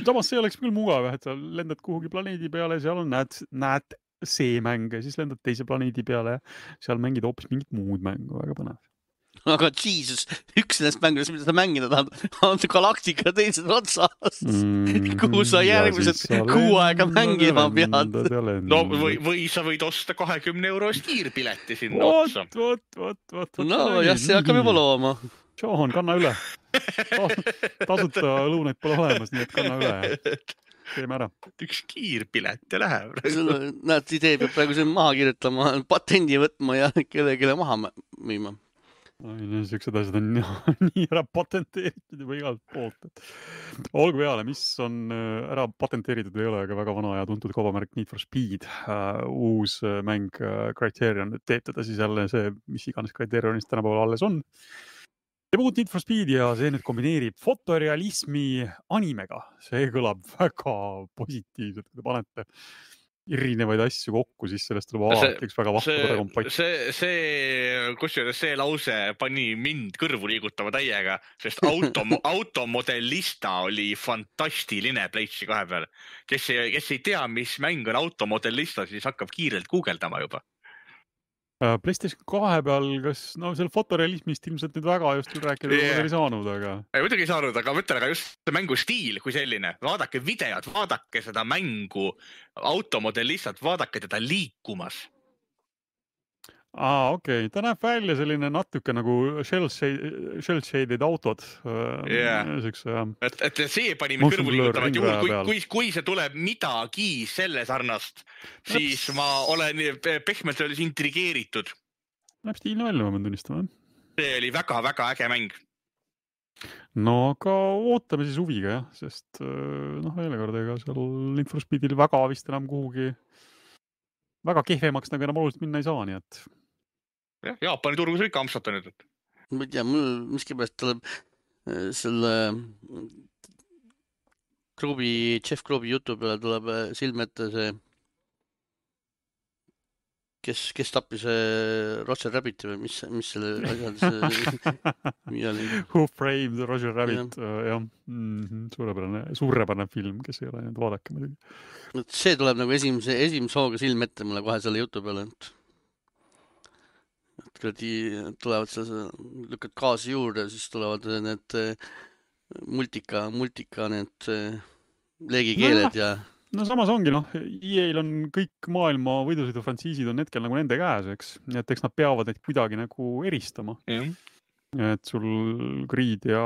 Samas see oleks küll mugav, et sa lendad kuhugi planeedi peale, seal on näed seemänge, siis lendad teise planeedi peale, seal mängid hoopis mingit muud mängu, väga põnev. Aga Jesus, üks nendest mängudest, mida sa mängida tahad, on Galactica teises otsas, kuhu sa järgmised 6 aega mängima pead. No või sa võid osta 20 € kiirpileti sinna otsa. No jah, see hakkab juba looma. Sean, kanna üle. Tasuta lõunaid pole olemas, nii et kanna üle. Teeme ära. Üks kiirpilet ja läheb. Näed, idee peab praegu siin maha kirjutama, patendi võtma ja kellelegi maha müüma. Siuksed asjad on nii ära patenteeritud juba igalt poolt. Olgu peale, mis on ära patenteeritud ei ole, aga väga vana ja tuntud kaubamärk Need for Speed. Uus mäng Criterion teeb teda siis jälle see, mis iganes Criterionist tänapäeval alles on. Teeb uut Need for Speed ja see nüüd kombineerib fotorealismi animega. See kõlab väga positiivselt, kui te panete erinevaid asju kokku, siis sellest tuleb alati üks väga vahva kompott. See lause pani mind kõrvu liigutama täiega, sest automodellista oli fantastiline PlayStation 2 peal. Kes ei tea, mis mäng on automodellista, siis hakkab kiirelt guugeldama juba. PlayStation 2 peal, seal fotorealismist ilmselt nüüd väga just rääkida ei saanud, aga... Muidugi ei saanud, aga mõtlen, aga just see mängu stiil kui selline. Vaadake videot, vaadake seda mängu automodellistat, vaadake teda liikumas. Okei. Ta näeb välja selline natuke nagu shell-shaded autod. Et see pani mind kõrvu liigutama, et juhul, kui see tuleb midagi selle sarnast, siis ma olen pehmelt öeldes intrigeeritud. Näeb stiilne välja, ma pean tunnistama. See oli väga-väga äge mäng. No aga ootame siis huviga, jah, sest veel kord, ega seal Need for Speedil väga vist enam kuhugi väga kehvemaks nagu enam oluliselt minna ei saa, nii et Jaapani turgus ikka ampsata nüüd. Ma ei tea, mul miskipärast tuleb selle Jeff Grobi jutu peale tuleb silme ette see, kes tappis Roger Rabbiti või mis selle asjad Who Framed Roger Rabbit, jah. Suurepärane film, kes ei ole nüüd vaadake muidugi. See tuleb nagu esimese hooga silme ette mulle kohe selle jutu peale, et tulevad lükkad gaasi juurde, siis tulevad need multika need leegikeeled ja... No samas ongi, EA-l on kõik maailma võidusõidufrantsiisid on hetkel nagu nende käes, eks. Et eks nad peavad neid kuidagi nagu eristama. Et sul Grid ja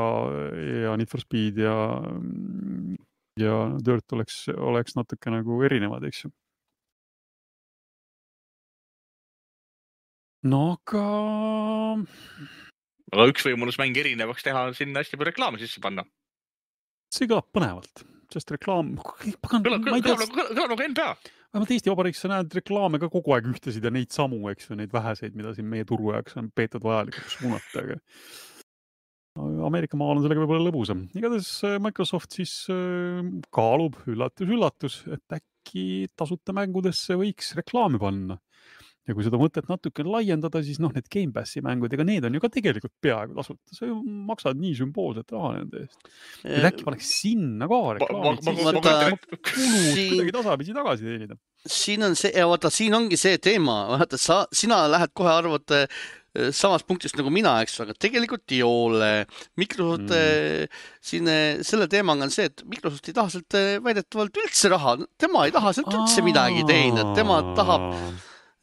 Need for Speed ja Dirt oleks natuke nagu erinevad, eks ju. No aga üks võimalus mäng erinevaks teha on sinna hästi palju reklaame sisse panna. See kõlab põnevalt, sest reklaam... Kõlab nagu NBA. Vähemalt Eesti Vabariigis sa näed reklaame ka kogu aeg ühtesid ja neid samu, eks ju, neid väheseid, mida siin meie turu jaoks on peetud vajalikuks suunata. Aga Ameerika maal on sellega võib-olla lõbusam. Igatahes Microsoft siis kaalub üllatus, et äkki tasuta mängudesse võiks reklaami panna. Ja kui seda mõtet natuke laiendada, siis need Game Passi mängud, ega need on ju ka tegelikult peaaegu tasuta. Sa ju maksad nii sümboolset raha nende eest. Et äkki paneks sinna ka reklaamid, siis kuidagi tasapisi tagasi teenida. Siin on see, siin ongi see teema. Sina lähed kohe arvad samas punktist nagu mina, eks, aga tegelikult ei ole. Microsoft selle teemaga on see, et Microsoft ei taha sealt väidetavalt üldse raha. Tema ei taha sealt üldse midagi teenida. Tema tahab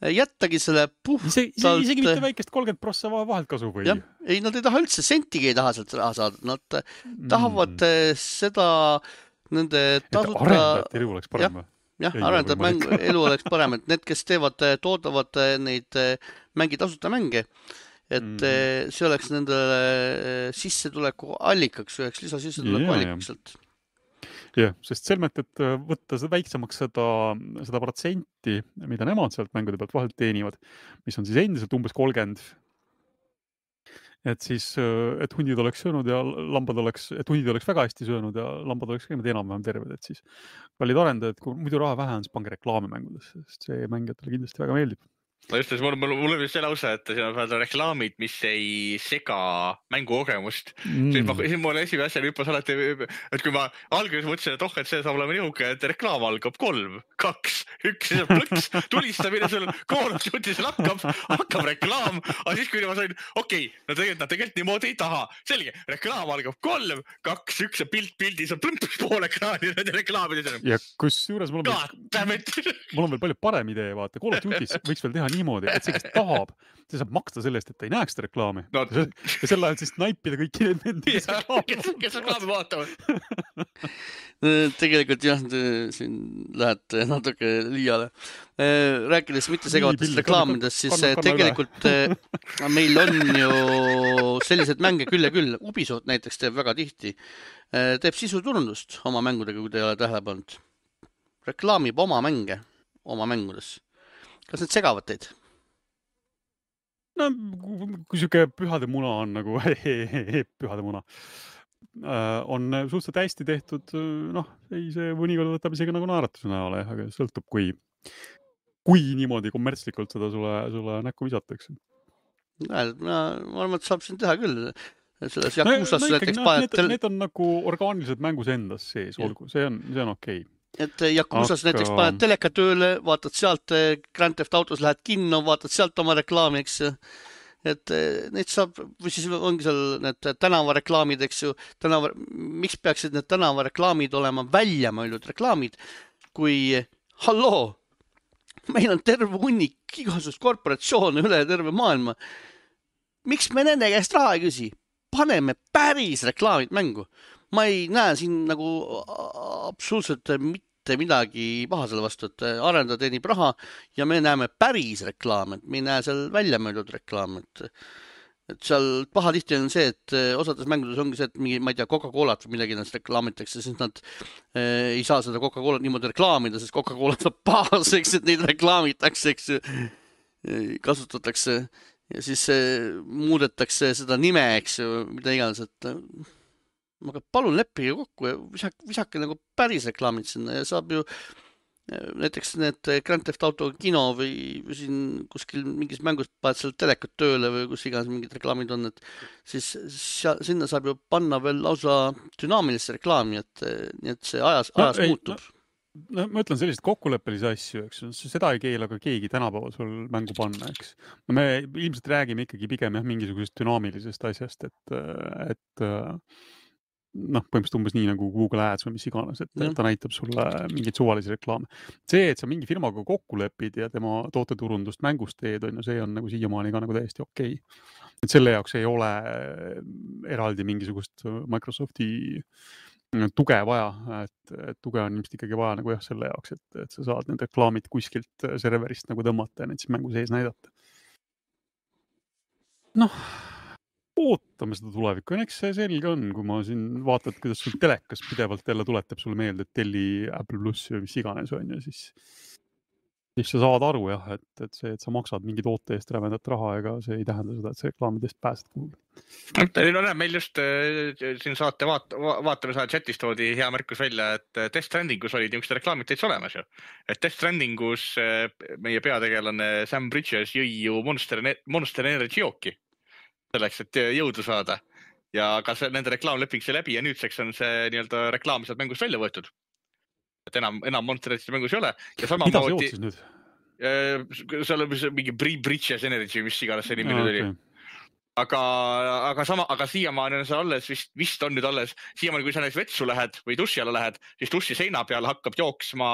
jättagi selle puhtalt... Isegi mitte väikest 30% vahelt kasu või? Jah, ei, nad ei taha üldse, sentigi ei taha sealt raha saada. Nad tahavad seda nende tasuta... Arendajate elu oleks parem või? Jah, arendajad elu oleks parem, et need, kes toodavad neid tasuta mänge, et see oleks nendele sissetuleku allikaks, üheks lisasissetuleku allikaks sealt. Jah, sest selmet, et võtta väiksemaks seda protsenti, mida nemad sealt mängude pealt vahelt teenivad, mis on siis endiselt umbes 30%, et siis, et hundid oleks söönud ja et hundid oleks väga hästi söönud ja lambad oleks ka enam-vähem terved, et siis kallid arendajad, kui muidu raha vähe on, siis pange reklaami mängudesse, sest see mängijatele kindlasti väga meeldib. No just, mul on see lause, et siin on reklaamid, mis ei sega mängukogemust. Siis mul esimene asja hüppas alati, et kui ma alguses mõtlesin, et et see saab olema nihuke, et reklaam algab 3, 2, 1, siis on plõks, tulistamine sul koolutsutis hakkab reklaam, aga siis kui ma sain, no tegelikult niimoodi ei taha. Selge, reklaam algab 3, 2, 1 ja pildis on plõmps pool ekraani nende reklaamide. Ja kus juures mul on veel palju parem idee, vaata, koolutsutis võiks veel teha niimoodi, et see, kes tahab, see saab maksta selle eest, et ta ei näeks seda reklaami. Ja selle ajal siis naipida kõiki nende, kes reklaami vaatavad. Tegelikult jah, siin lähete natuke liiale. Rääkides mitte segavatest reklaamidest, siis tegelikult meil on ju sellised mänge küll ja küll. Ubisoft näiteks teeb väga tihti. Teeb sisuturundust oma mängudega, kui te ei ole tähele pannud. Reklaamib oma mänge oma mängudes. Kas need segavad teid? No, kui siuke pühade muna on nagu, pühade muna, on suhteliselt hästi tehtud, see mõnikord võtab isegi nagu naeratuse näole, aga sõltub, kui niimoodi kommertslikult seda sulle näkku visatakse. Ma arvan, et saab siin teha küll. Selles Yakusas näiteks need on nagu orgaanilised mängus endas sees, olgu, see on okei. Et Yakusas näiteks paned teleka tööle, vaatad sealt Grand Theft Autos, lähed kinno, vaatad sealt oma reklaami, eks ju. Et neid saab, või siis ongi seal need tänavareklaamid, eks ju. Miks peaksid need tänavareklaamid olema välja mõeldud reklaamid, kui halloo, meil on terve hunnik igasugust korporatsioone üle terve maailma. Miks me nende käest raha ei küsi? Paneme päris reklaamid mängu. Ma ei näe siin nagu absoluutselt mitte midagi paha selle vastu, et arendajad teenib raha ja me näeme päris reklaame, et me ei näe seal välja möödud reklaame. Et seal paha tihti on see, et osades mängudes ongi see, et mingi, ma ei tea, Coca-Colat või midagi nad reklaamitakse, siis nad ei saa seda Coca-Colat niimoodi reklaamida, sest Coca-Colat saab pahaseks, et neid reklaamitakse, eks ju, kasutatakse ja siis muudetakse seda nime, eks ju, mida iganes, et aga palun leppige kokku ja visake nagu päris reklaamid sinna ja saab ju näiteks need Grand Theft Auto kino või siin kuskil mingis mängus paned seal telekat tööle või kus iganes mingid reklaamid on, et siis sinna saab ju panna veel lausa dünaamilisse reklaami, et see ajas muutub. Ma ütlen sellised kokkuleppelisi asju, eks, seda ei keela ka keegi tänapäeval sul mängu panna, eks. No me ilmselt räägime ikkagi pigem mingisugusest dünaamilisest asjast, et põhimõtteliselt umbes nii nagu Google Ads või mis iganes, et ta näitab sulle mingeid suvalisi reklaame. See, et sa mingi firmaga kokku lepid ja tema tooteturundust mängust teed, see on nagu siiamaani ka nagu täiesti okei. Et selle jaoks ei ole eraldi mingisugust Microsofti tuge vaja, et tuge on ilmselt ikkagi vaja nagu selle jaoks, et sa saad need reklaamid kuskilt serverist nagu tõmmata ja need siis mängu sees näidata. Ootame seda tulevikku. Eks see selge on, kui ma siin vaatad, kuidas sul telekas pidevalt jälle tuletab sulle meelde, et telli Apple Plus või mis iganes on ja siis sa saad aru jah, et see, et sa maksad mingi toote eest rävendat raha, ega see ei tähenda seda, et see reklaamidest pääsed kuhugi. Meil just siin saate vaatamise chatist toodi hea märkus välja, et Death Strandingus olid niisugused reklaamid täitsa olemas ju. Et Death Strandingus meie peategelane Sam Bridges jõi ju Monster Energy jooki. Selleks, et jõudu saada. Ja ka nende reklaamleping see läbi ja nüüdseks on see nii-öelda reklaam sealt mängust välja võetud. Et enam Monster Energy mängus ei ole. Ja sama mida see jooksis nüüd? Seal on mingi Bridges Energy, mis iganes see nimi nüüd oli. Aga siiamaani on see alles, vist on nüüd alles, siiamaani kui sa näiteks vetsu lähed või duši alla lähed, siis duši seina peal hakkab jooksma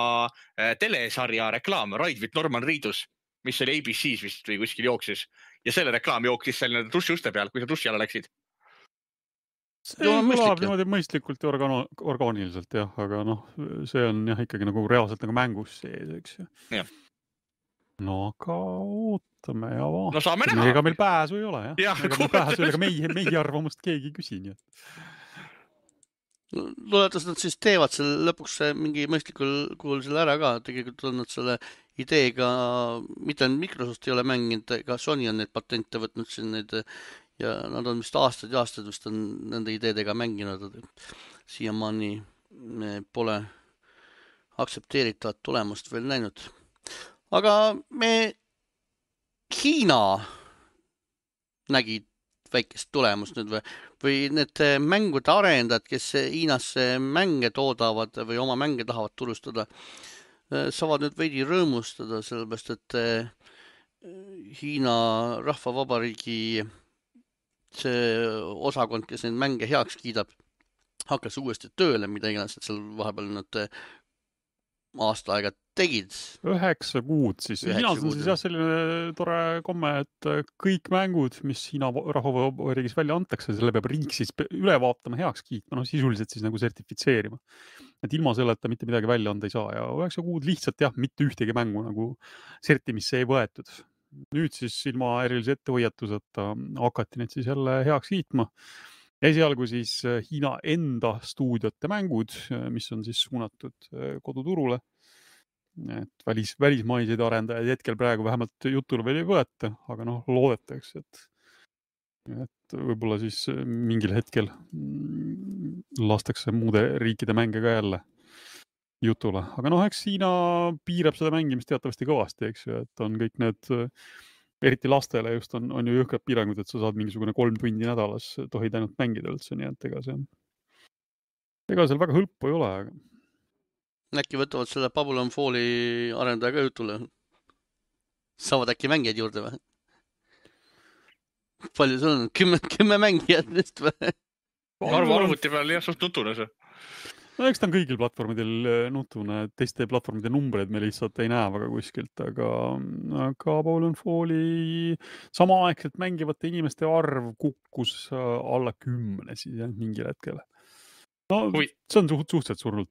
telesarja reklaam Ride with Norman Reedus. mis oli ABC-s vist või kuskil jooksis ja selle reklaam jooksis seal duši uste peal, kui sa duši alla läksid. See kõlab niimoodi mõistlikult ja orgaaniliselt jah, aga see on jah ikkagi nagu reaalselt nagu mängus sees, eks ju. Jah. No aga ootame ja vaatame. No saame näha. Ega meil pääsu ei ole jah. Ega meil pääsu ei ole, aga meie arvamust keegi ei küsi. Loodetas nad siis teevad selle lõpuks mingi mõistlikul kuul selle ära ka. Tegelikult on nad selle ideega, mitte Microsoft ei ole mänginud, ega Sony on neid patente võtnud siin neid ja nad on vist aastad ja aastad vist on nende ideedega mänginud. Siiamaani pole aktsepteeritavat tulemust veel näinud. Aga Hiina nägi väikest tulemust nüüd või need mängude arendajad, kes Hiinas mänge toodavad või oma mänge tahavad turustada, saavad nüüd veidi rõõmustada, sellepärast et Hiina Rahvavabariigi see osakond, kes neid mänge heaks kiidab, hakkas uuesti tööle, mida iganes, et seal vahepeal nad aasta aega tegid. 9 kuud siis. Hiinas on siis jah selline tore komme, et kõik mängud, mis Hiina Rahvavabariigis välja antakse, selle peab riik siis üle vaatama, heaks kiitma, sisuliselt siis nagu sertifitseerima. Et ilma selleta mitte midagi välja anda ei saa ja 9 kuud lihtsalt jah, mitte ühtegi mängu nagu sertimisse ei võetud. Nüüd siis ilma erilise ettehoiatuseta hakati neid siis jälle heaks kiitma. Esialgu siis Hiina enda stuudiote mängud, mis on siis suunatud koduturule. Et välismaiseid arendajaid hetkel praegu vähemalt jutule veel ei võeta, aga loodetakse, et võib-olla siis mingil hetkel lastakse muude riikide mänge ka jälle jutule. Aga eks Hiina piirab seda mängimist teatavasti kõvasti, eks ju, et on kõik need eriti lastele just on ju jõhkrad piirangud, et sa saad mingisugune 3 tundi nädalas, tohid ainult mängida üldse, nii et ega seal väga hõlpu ei ole. Aga... Äkki võtavad selle Babylon Falli arendaja ka jutule? Saavad äkki mängijad juurde või? Palju sul on? 10 mängijad nüüd või? Arvuti peal jah, suht nutune see. Eks ta on kõigil platvormidel nutune, teiste platvormide numbreid me lihtsalt ei näe väga kuskilt, aga Babylon Falli samaaegselt mängivate inimeste arv kukkus alla 10 siis jah, mingil hetkel. See on suhteliselt surnud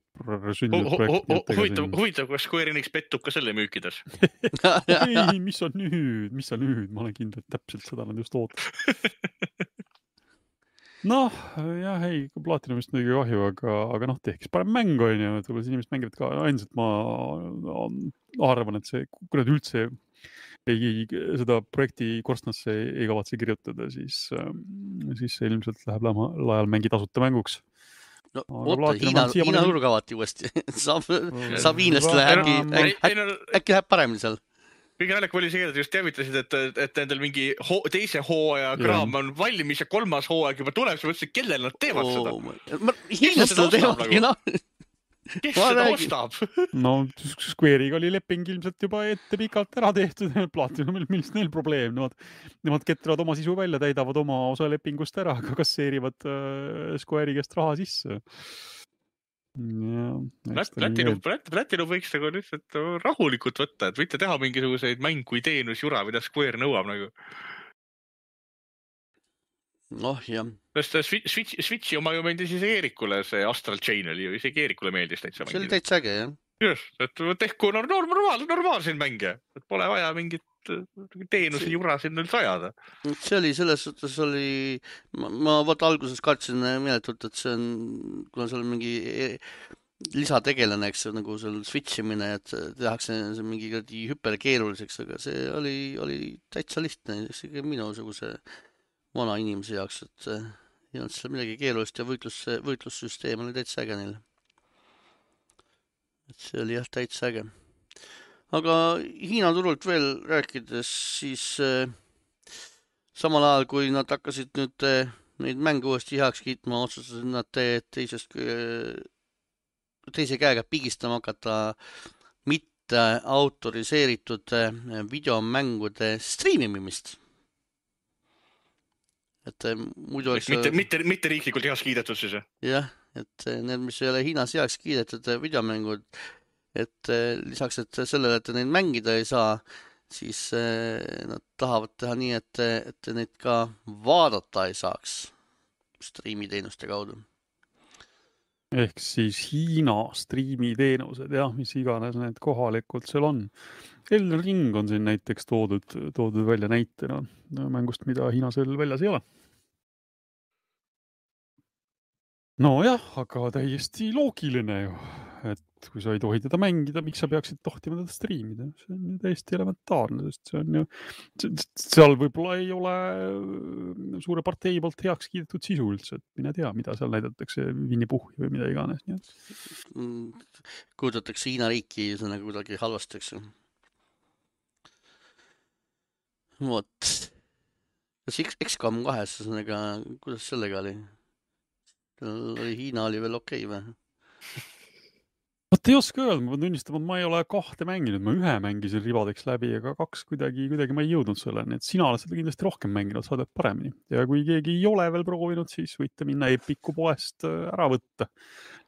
sündinud projekt. Huvitav, kas Square Enix pettub ka selle müükides? Ei, mis on nüüd? Ma olen kindel, et täpselt seda nad just ootab. Jah, ei, Platinumist midagi kahju, aga tehkis parem mäng on ju, et võib-olla inimesed mängivad ka, ainult ma arvan, et kui nad üldse seda projekti korstnasse ei kavatse kirjutada, siis see ilmselt läheb laial mängi tasuta mänguks. Oota, Hiina nurga vaati uuesti. Saab hiinlastele äkki läheb paremini seal. Kõige naljakam oli see, et just teavitasid, et nendel mingi teise hooaja kraam on valmis ja 3. hooaeg juba tuleb, siis mõtlesin, kellel nad teevad seda. Hiinlastel teevad. Kes seda ostab? Square'iga oli leping ilmselt juba ette pikalt ära tehtud. Platinumil, millest neil probleem? Nemad ketravad oma sisu välja, täidavad oma osa lepingust ära, aga kasseerivad Square'i käest raha sisse. Platinum võiks nagu lihtsalt rahulikult võtta, et võite teha mingisuguseid mängu teenusjura, mida Square nõuab nagu. Jah. Switchi oma ju meeldis isegi Eerikule, see Astral Chain oli ju isegi Eerikule meeldis täitsa mängida. See oli täitsa äge, jah. Just, et tehku normaalseid mänge, et pole vaja mingit teenusi jura sinna üldse ajada. See oli, selles suhtes oli, ma alguses kartsin meeletult, et see on, kuna seal on mingi lisategelane, eks nagu seal switchimine, et tehakse mingi hüperkeeruliseks, aga see oli täitsa lihtne, isegi minusuguse vana inimese jaoks, et ei olnud seal midagi keerulist ja võitlussüsteem oli täitsa äge neil. Et see oli jah täitsa äge. Aga Hiina turult veel rääkides, siis samal ajal, kui nad hakkasid nüüd neid mänge uuesti heaks kiitma, otsustasid nad teise käega pigistama hakata mitte autoriseeritud videomängude streamimist. Et muidu oleks... Mitte riiklikult heaks kiidetud siis? Jah, et need, mis ei ole Hiinas heaks kiidetud videomängud, et lisaks, et sellele, et neid mängida ei saa, siis nad tahavad teha nii, et neid ka vaadata ei saaks striimiteenuste kaudu. Ehk siis Hiina striimiteenused, jah, mis iganes need kohalikult seal on. Elden Ring on siin näiteks toodud välja näitena mängust, mida Hiinas veel väljas ei ole. Nojah, aga täiesti loogiline ju, et kui sa ei tohi teda mängida, miks sa peaksid tohtima teda striimida? See on ju täiesti elementaarne, sest see on ju, seal võib-olla ei ole suure partei poolt heaks kiidetud sisu üldse, et mine tea, mida seal näidatakse, Winnie-Puhhi või mida iganes. Kujutatakse Hiina riiki kuidagi halvasti, eks ju. Vot. Kas XCOM 2, kuidas sellega oli? Hiina oli veel okei või? Vot ei oska öelda, ma pean tunnistama, et ma ei ole 2 mänginud, ma 1 mängisin ribadeks läbi, aga 2 kuidagi ma ei jõudnud selleni, et sina oled seda kindlasti rohkem mänginud, sa tead paremini. Ja kui keegi ei ole veel proovinud, siis võite minna Epiku poest ära võtta.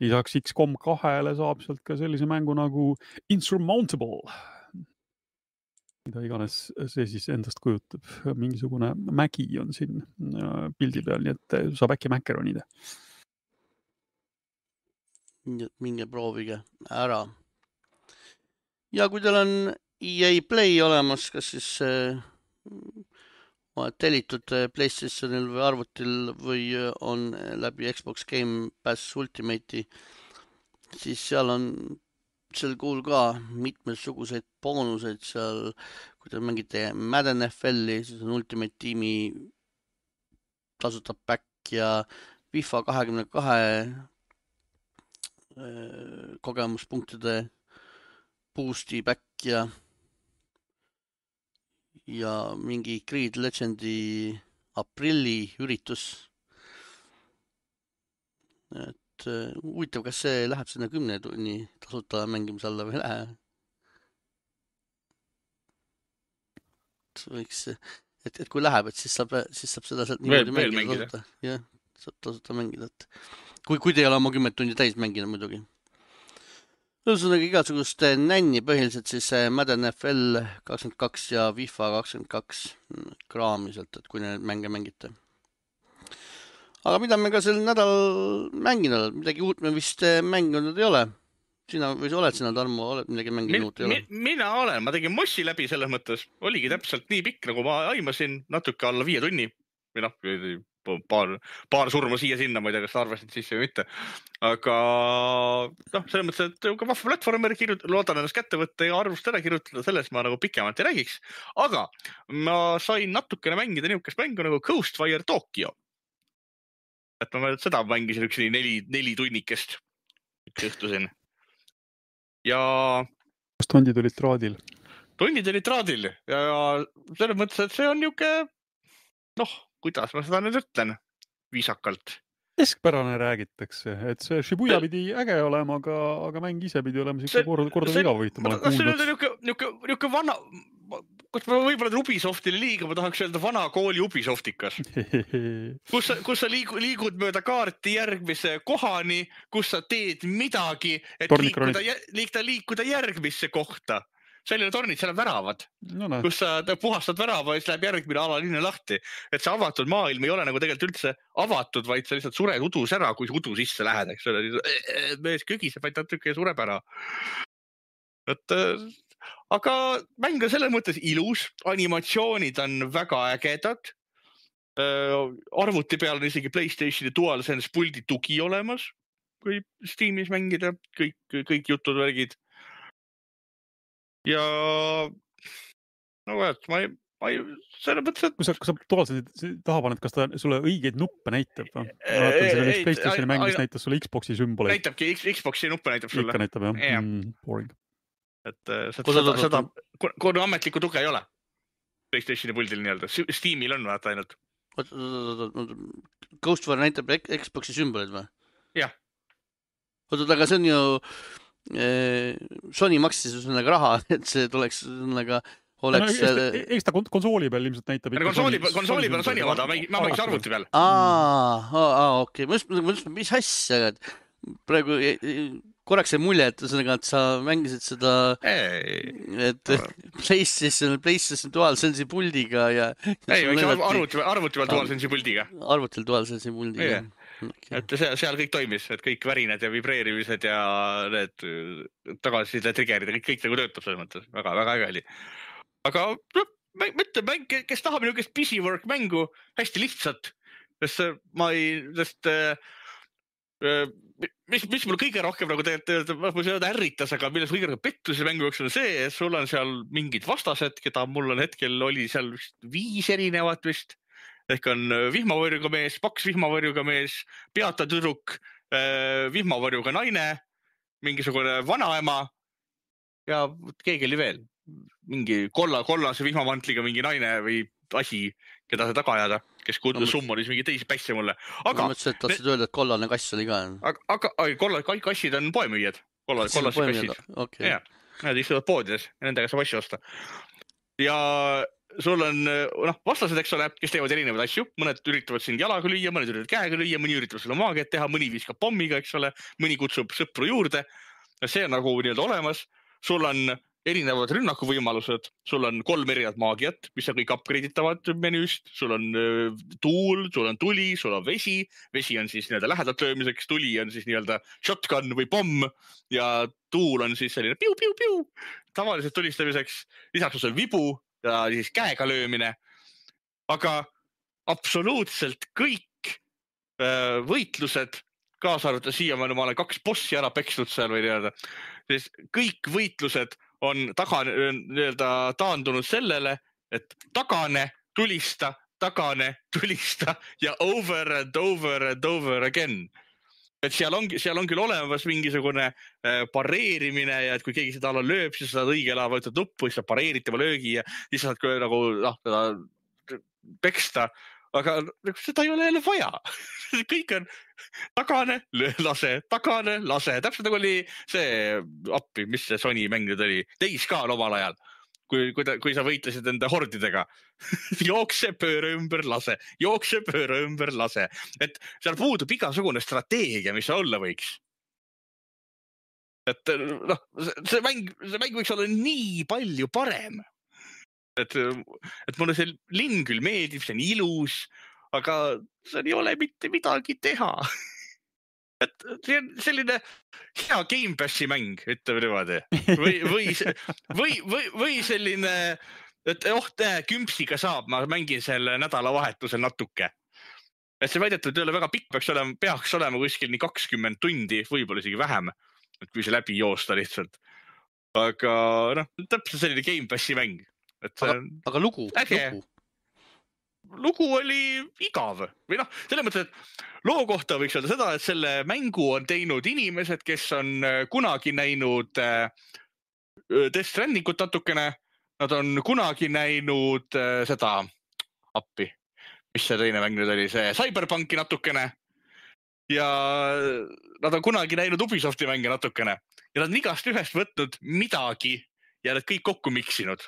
Lisaks XCOM 2-le saab sealt ka sellise mängu nagu Insurmountable, mida iganes see siis endast kujutab. Mingisugune mägi on siin pildi peal, nii et saab äkki mäkeronida. Minge proovige ära. Ja kui teil on EA Play olemas, kas siis tellitud PlayStationil või arvutil või on läbi Xbox Game Pass Ultimate'i, siis seal on sel kuul ka mitmesuguseid boonuseid seal, kui te mängite Madden NFL-i, siis on Ultimate Teami tasuta back ja FIFA 22 kogemuspunktide boosti back ja mingi Creed Legendi aprilli üritus. Et huvitav, kas see läheb sinna 10 tunni tasuta mängimise alla või lähe? Võiks, et kui läheb, et siis saab seda sealt niimoodi mängida tasuta. Jah, saab tasuta mängida. Kui te ei ole oma 10 tundi täis mängida muidugi. Ühesõnaga igasugust nänni põhiliselt siis Madden NFL 22 ja FIFA 22 kraamiselt, et kui need mänge mängite. Aga mida me ka sel nädal mänginud? Midagi uut me vist mänginud ei ole. Sina või oled sina, Tarmo, oled midagi mänginud uut ei ole? Mina olen, ma tegin Mossi läbi selles mõttes. Oligi täpselt nii pikk, nagu ma aimasin, natuke alla 5 tunni. Või paar surma siia-sinna, ma ei tea, kas arvasid sisse või mitte. Aga selles mõttes, et vahva platvormer loodan ennast kätte võtta ja arvust ära kirjutada, selles ma nagu pikemalt ei räägiks. Aga ma sain natukene mängida niisugust mängu nagu Ghostwire Tokyo. Et ma seda mängisin üks 4 tunnikest üks õhtusin. Ja kas tondid olid traadil? Tondid olid traadil ja selles mõttes, et see on niisugune, kuidas ma seda nüüd ütlen viisakalt. Keskpärane räägitakse, et see Shibuya pidi äge olema, aga mäng ise pidi olema korda viga võita. See on niisugune vana, kus ma võib-olla Ubisoftile liiga, ma tahaks öelda vana kooli Ubisoftikas. Kus sa liigud mööda kaarti järgmise kohani, kus sa teed midagi, et liikuda järgmisse kohta. Seal ei ole tornid, seal on väravad, kus sa puhastad värava ja siis läheb järgmine alalinne lahti. Et see avatud maailm ei ole nagu tegelikult üldse avatud, vaid sa lihtsalt sured udus ära, kui udu sisse lähed. Mees kögiseb, vaid natuke sureb ära. Aga mäng on selles mõttes ilus, animatsioonid on väga ägedad. Arvuti peal on isegi PlayStationi DualSense puldi tugi olemas, kui Steamis mängida, kõik jutud värgid. Ja ma ei selle mõttes, et... Kui sa DualSense taha paned, kas ta sulle õigeid nuppe näitab? Ma vaatan selle üks PlayStationi mäng, mis näitas sulle Xboxi sümboleid. Näitabki, Xboxi nuppe näitab sulle. Ikka näitab, jah. Boring. Et seda, kui ametlikku tuge ei ole PlayStationi puldil nii-öelda. Steamil on vaata ainult. Ghostwire näitab Xboxi sümboleid või? Jah. Aga see on ju... Sony maksis raha, et see tuleks oleks... Eks ta konsooli peal ilmselt näitab. Konsooli peal on Sony omada, ma mängis arvuti peal. Okei. Mis asja, praegu korraks see mulje, et sa mängisid seda, et PlayStation DualSense'i puldiga ja arvuti peal DualSense'i puldiga. Arvutil DualSense'i puldiga. Et seal kõik toimis, et kõik värinad ja vibreerimised ja need tagasiside triggerid ja kõik nagu töötab selles mõttes. Väga äge oli. Aga mäng, kes tahab niisugust busy work mängu, hästi lihtsalt, sest mis mul kõige rohkem nagu tegelikult ärritas, aga milles kõige rohkem pettusi mängu jooksul on see, et sul on seal mingid vastased, keda mul on hetkel oli seal 5 erinevat vist, ehk on vihmavarjuga mees, paks vihmavarjuga mees, peata tüdruk, vihmavarjuga naine, mingisugune vanaema ja keegi oli veel. Mingi kollase vihmamantliga mingi naine või asi, keda see taga ajada, kes kuulda summonis mingi teisi pässe mulle. Ma mõtlesin, et tahtsid öelda, et kollane kass oli ka. Aga kassid on poemüüjad. Kollased kassid. Okay. Nad istuvad poodides ja nendega saab asju osta. Ja sul on vastased, eks ole, kes teevad erinevaid asju. Mõned üritavad sind jalaga lüüa, mõned üritavad käega lüüa, mõni üritavad sulle maagiat teha, mõni viskab pommiga, eks ole, mõni kutsub sõpru juurde. See on nagu nii-öelda olemas. Sul on erinevad rünnakuvõimalused, sul on 3 erinevat maagiat, mis on kõik upgrade'itavad menüüst, sul on tuul, sul on tuli, sul on vesi on siis nii-öelda lähedalt löömiseks, tuli on siis nii-öelda shotgun või pomm ja tuul on siis selline piu, tavaliselt tulistamiseks, lisaks on sul vibu ja siis käega löömine, aga absoluutselt kõik võitlused, kaasa arvates siiamaani ma olen 2 bossi ära peksnud seal või nii-öelda, siis kõik võitlused on taandunud sellele, et tagane, tulista ja over and over again. Et seal on küll olemas mingisugune pareerimine ja et kui keegi seda ala lööb, siis saad õige ala võtta nuppu, siis saad pareeritava löögi ja siis saad nagu peksta. Aga seda ei ole jälle vaja. Kõik on tagane, lase. Täpselt nagu oli see appi, mis see Sony mäng nüüd oli. Days Gone omal ajal, kui sa võitlesid enda hordidega. Jookse pööre ümber, lase. Et seal puudub igasugune strateegia, mis olla võiks. Et see mäng võiks olla nii palju parem. Et mulle see linn küll meeldib, see on ilus, aga seal ei ole mitte midagi teha. Et see on selline hea Game Passi mäng, ütleme niimoodi. Või selline, et kümpsiga saab, ma mängin selle nädalavahetusel natuke. Et see väidetud ei ole väga pikk, peaks olema kuskil nii 20 tundi, võib-olla isegi vähem, et kui see läbi joosta lihtsalt. Aga täpselt selline Game Passi mäng. Aga lugu? Lugu oli igav. Või selles mõttes, et loo kohta võiks öelda seda, et selle mängu on teinud inimesed, kes on kunagi näinud Death Strandingut natukene. Nad on kunagi näinud seda appi. Mis see teine mäng nüüd oli? See Cyberpunki natukene. Ja nad on kunagi näinud Ubisofti mänge natukene. Ja nad on igast ühest võtnud midagi ja nad kõik kokku miksinud.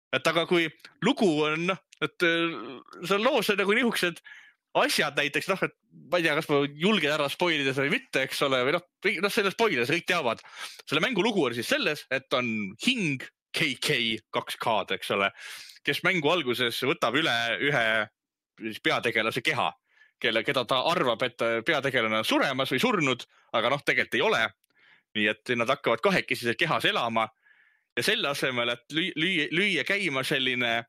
Et aga kui lugu on, et see loos on nagu nihukesed asjad näiteks, et ma ei tea, kas ma julgen ära spoilida või mitte, eks ole, või selle spoilides kõik teavad. Selle mängu lugu on siis selles, et on hing KK 2K-d, eks ole, kes mängu alguses võtab üle ühe peategelase keha, keda ta arvab, et peategelane on suremas või surnud, aga tegelikult ei ole. Nii et nad hakkavad kahekesi kehas elama. Ja selle asemel, et lüüa käima selline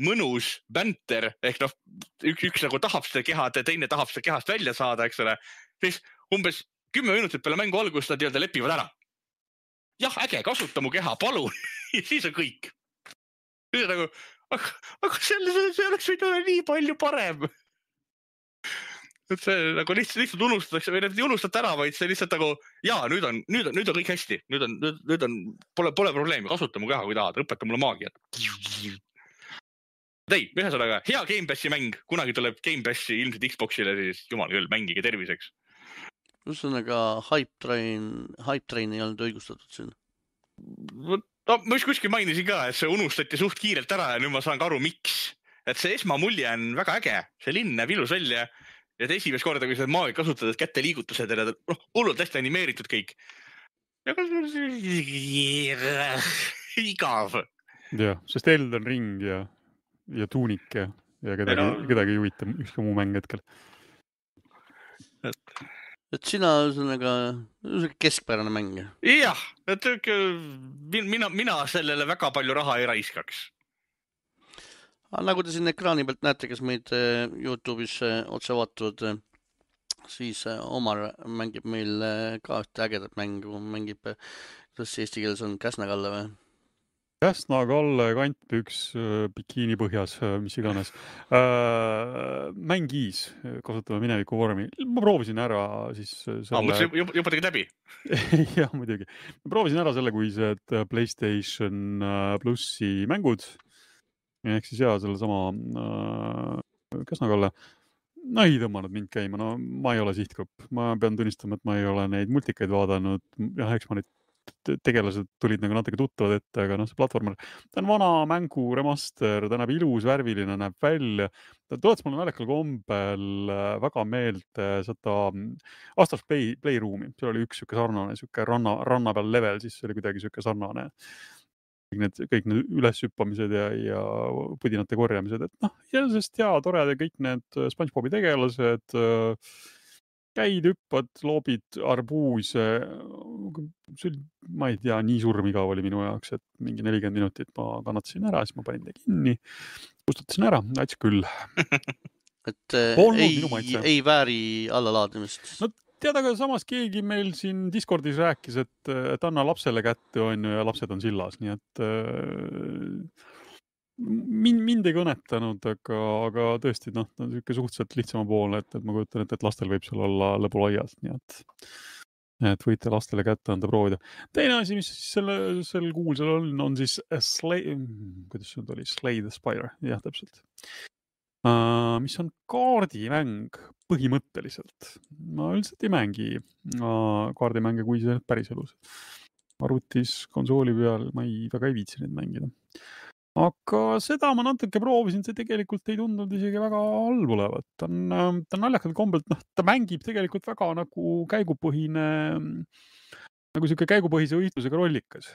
mõnus bänter, ehk üks nagu tahab seda kehad ja teine tahab seda kehast välja saada, eks ole, siis umbes 10 minutit peale mängu algust nad lepivad ära. Jah, äge, kasuta mu keha, palun. Ja siis on kõik. Siis on nagu, aga see oleks võinud olla nii palju parem. Et see nagu lihtsalt unustatakse või ei unustate ära, vaid see lihtsalt nagu, jaa, nüüd on kõik hästi. Nüüd on, pole probleemi, kasuta mu keha, kui tahad, õpeta mulle maagiat. Ühesõnaga, hea Game Passi mäng, kunagi tuleb Game Passi ilmselt Xboxile, siis jumal küll, mängige terviseks. Ühesõnaga, Hype Train ei olnud õigustatud siin. Ma just kuskil mainisin ka, et see unustati suht kiirelt ära ja nüüd ma saan ka aru, miks. Et see esmamulje on väga äge, see linn näeb ilus välja. Ja esimest korda, kui seda maagi kasutad, et kätte liigutused ja hullult hästi animeeritud kõik. Igav. Jah, sest Elden Ring ja Tunic ja kedagi ei huvita ükski muu mäng hetkel. Et sina ühesõnaga keskpärane mäng. Jah, et mina sellele väga palju raha ei raiskaks. Nagu te siin ekraani pealt näete, kes meid YouTube'is otse vaatavad, siis Omar mängib meil ka ühte ägedat mängu, mängib, kuidas eesti keeles on, Käsna-Kalle või? Käsna-Kalle, kantpüks, bikiini põhjas, mis iganes. Mängis, kasutame mineviku vormi. Ma proovisin ära siis selle... Juba tegid läbi? Jah, muidugi. Ma proovisin ära selle, kui see PlayStation Plussi mängud. Ehk siis selle sama Käsna-Kalle. No ei tõmmanud mind käima. No ma ei ole sihtgrupp. Ma pean tunnistama, et ma ei ole neid multikaid vaadanud. Jah, eks ma neid tegelased tulid nagu natuke tuttavad ette, aga see platvormer, ta on vana mängu remaster, ta näeb ilus, värviline, näeb välja. Ta tuletas mulle naljakal kombel väga meelde seda Astros Playroomi. See oli üks sarnane ranna peal level, siis see oli kuidagi sarnane. Kõik need üleshüppamised ja pudinate korjamised, et jällesest tored ja kõik need SpongeBobi tegelased, käid, hüppad, loobid arbuuse. Ma ei tea, nii surmigav oli minu jaoks, et mingi 40 minutit ma kannatasin ära, siis ma panin ta kinni, kustutasin ära, näiteks küll. Et ei vääri allalaadimist. No tead, aga samas keegi meil siin Discordis rääkis, et anna lapsele kätte ja lapsed on sillas, nii et mind ei kõnetanud, aga tõesti, ta on suhteliselt lihtsama poole, et ma kujutan, et lastel võib seal olla lõbulaias, nii et võite lastele kätte anda proovida. Teine asi, mis sel kuulsel on siis kuidas see oli? Slay the Spire, jah, täpselt. Mis on kaardimäng põhimõtteliselt. Ma üldiselt ei mängi kaardimänge, kui see päris elus. Arvutis, konsooli peal, ma väga ei viitsi neid mängida. Aga seda ma natuke proovisin, see tegelikult ei tundunud isegi väga halb olevat. Ta on naljakalt kombelt, ta mängib tegelikult väga nagu käigupõhine, nagu siuke käigupõhise võitlusega rollikas,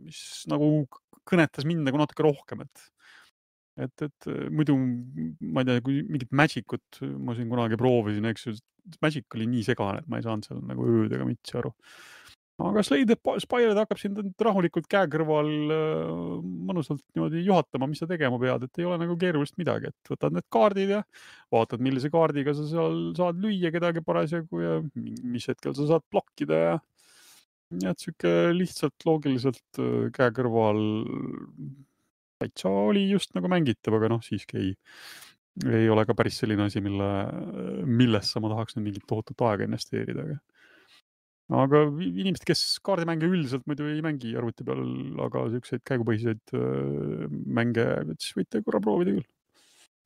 mis nagu kõnetas mind nagu natuke rohkem, et muidu, ma ei tea, kui mingit Magicut ma siin kunagi proovisin, eks ju, Magic oli nii segane, et ma ei saanud seal nagu öödega mitsi aru. Aga Slay the Spire hakkab sind rahulikult käe kõrval mõnusalt niimoodi juhatama, mis sa tegema pead, et ei ole nagu keerulist midagi, et võtad need kaardid ja vaatad, millise kaardiga sa seal saad lüüa kedagi parasjagu ja mis hetkel sa saad blokkida ja et siuke lihtsalt loogiliselt käe kõrval täitsa oli just nagu mängitav, aga siiski ei ole ka päris selline asi, millesse ma tahaks nüüd mingit tohutut aega investeerida, aga inimesed, kes kaardimänge üldiselt muidu ei mängi arvuti peal, aga siukseid käigupõhiseid mänge, siis võite korra proovida küll.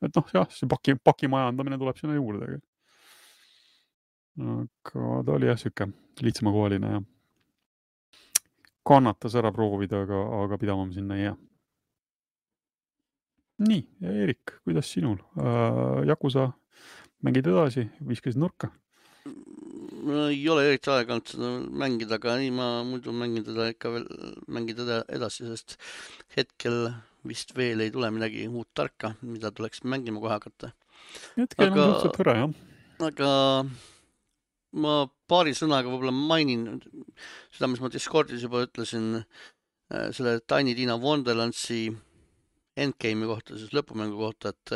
Et see paki majandamine tuleb sinna juurde. Aga ta oli jah siuke lihtsamakohaline ja kannatas ära proovida, aga pidama sinna ei jää. Nii, ja Erik, kuidas sinul? Yakuza mängid edasi, viskasid nurka? Ei ole eriti aega olnud seda mängida, aga nii ma muidu mängin teda ikka veel mängida edasi, sest hetkel vist veel ei tule midagi uut tarka, mida tuleks mängima kohe hakata. Hetkel on suhteliselt hõre, jah. Aga ma paari sõnaga võib-olla mainin seda, mis ma Discordis juba ütlesin, selle Tiny Tina Wonderlandsi endgame'i kohta, siis lõpumängu kohta, et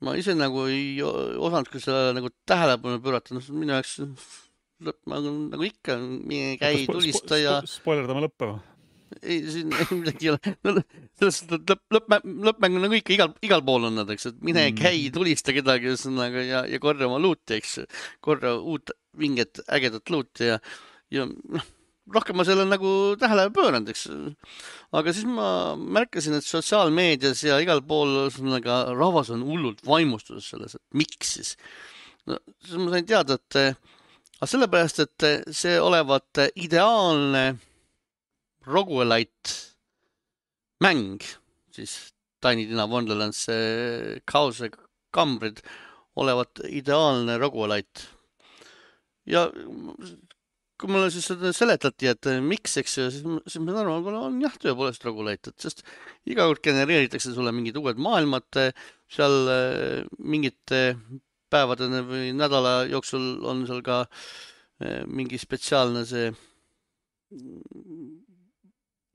ma ise nagu ei osanud küll sellele nagu tähelepanu pöörata, minu jaoks nagu ikka käi tulista ja... Spoilerdame lõppe või? Ei, siin midagi ei ole. Lõppmäng on nagu ikka igal pool on nad, eks, et mine käi tulista kedagi ja korra oma luuti, eks, korra uut vinget ägedat luuti ja rohkem ma selle nagu tähele pööranud, eks. Aga siis ma märkasin, et sotsiaalmeedias ja igal pool rahvas on hullult vaimustuses selles, et miks siis. Siis ma sain teada, et sellepärast, et see olevat ideaalne roguelite mäng, siis Tiny Tina Wonderlands Chaose kambrid olevat ideaalne roguelite. Ja kui mulle siis seda seletati, et miks, eks ju, siis ma saan aru, on jah, tõepoolest roguelite, et sest iga kord genereeritakse sulle mingid uued maailmad, seal mingite päevade või nädala jooksul on seal ka mingi spetsiaalne see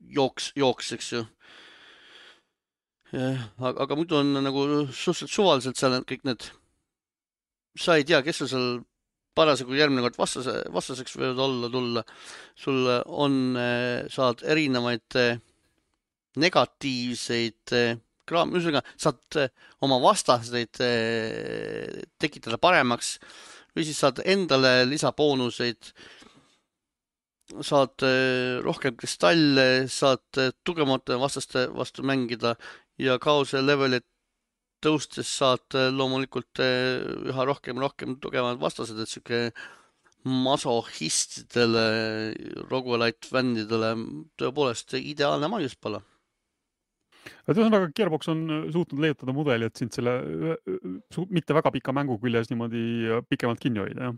jooks, eks ju. Aga muidu on nagu suhteliselt suvaliselt seal kõik need, sa ei tea, kes sul seal parasjagu järgmine kord vastaseks võivad olla tulla. Sul on, saad erinevaid negatiivseid ühesõnaga, saad oma vastaseid tekitada paremaks või siis saad endale lisaboonuseid, saad rohkem kristalle, saad tugevamate vastaste vastu mängida ja kaose levelit tõustes saad loomulikult üha rohkem tugevad vastased, et siuke masohhistidele, roguelite fännidele tõepoolest ideaalne maiuspala. Ühesõnaga, Gearbox on suutnud leiutada mudeli, et sind selle mitte väga pika mängu küljes niimoodi pikemalt kinni hoida, jah?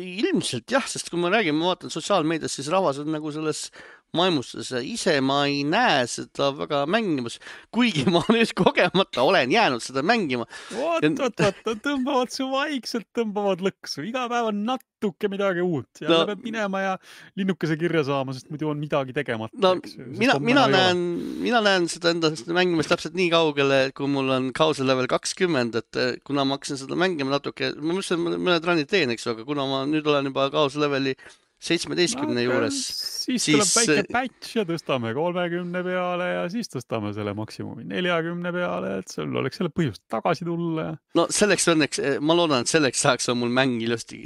Ilmselt jah, sest kui ma räägin, ma vaatan sotsiaalmeedias, siis rahvas on nagu selles maimustuses. Ise ma ei näe seda väga mängimas, kuigi ma nüüd kogemata olen jäänud seda mängima. Tõmbavad su vaikselt, tõmbavad lõksu. Iga päev on natuke midagi uut. Jälle peab minema ja linnukese kirja saama, sest muidu on midagi tegemata. No, mina näen seda endast mängimist täpselt nii kaugele, kui mul on kause level 20, et kuna ma hakkasin seda mängima natuke, ma mõtlesin, et mõned rannid teen, eks, aga kuna ma nüüd olen juba kause leveli 17 juures. Siis tuleb väike patch ja tõstame 30 peale ja siis tõstame selle maksimumi 40 peale, et sul oleks selle põhjust tagasi tulla. No selleks õnneks, ma loodan, et selleks saaks on mul mäng ilusti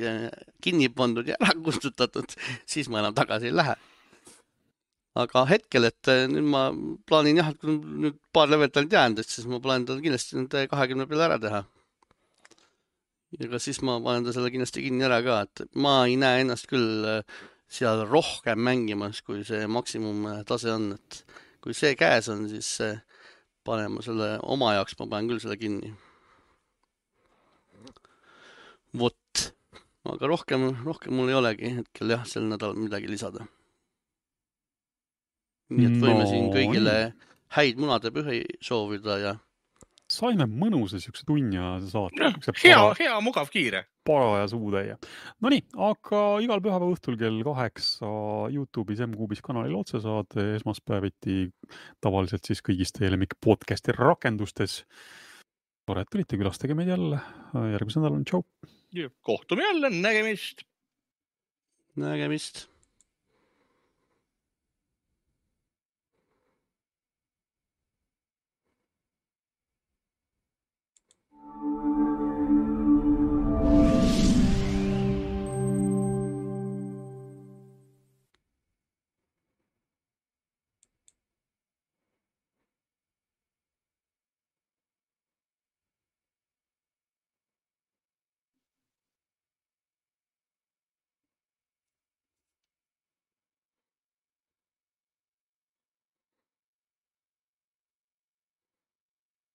kinni pandud ja ära kustutatud, siis ma enam tagasi ei lähe. Aga hetkel, et nüüd ma plaanin jah, et kui nüüd paar levelit on jäänud, et siis ma plaanin tal kindlasti nüüd 20 peale ära teha. Ja siis ma panen ta selle kindlasti kinni ära ka, et ma ei näe ennast küll seal rohkem mängimas, kui see maksimum tase on, et kui see käes on, siis panema selle oma jaoks, ma panen küll selle kinni. Vot, aga rohkem mul ei olegi hetkel jah, sel nädalal midagi lisada. Nii et võime siin kõigile häid munade pühi soovida ja saime mõnusa siukse tunja saata. Hea, mugav, kiire. Paraja suutäie. Nonii, aga igal pühapäeva õhtul kell 8 YouTube'is M-Kuubis kanalil otsesaade, esmaspäeviti tavaliselt siis kõigis teie lemmik podcasti rakendustes. Tore, et tulite, külastage meid jälle. Järgmise nädal on tšau. Kohtume jälle, nägemist. Nägemist.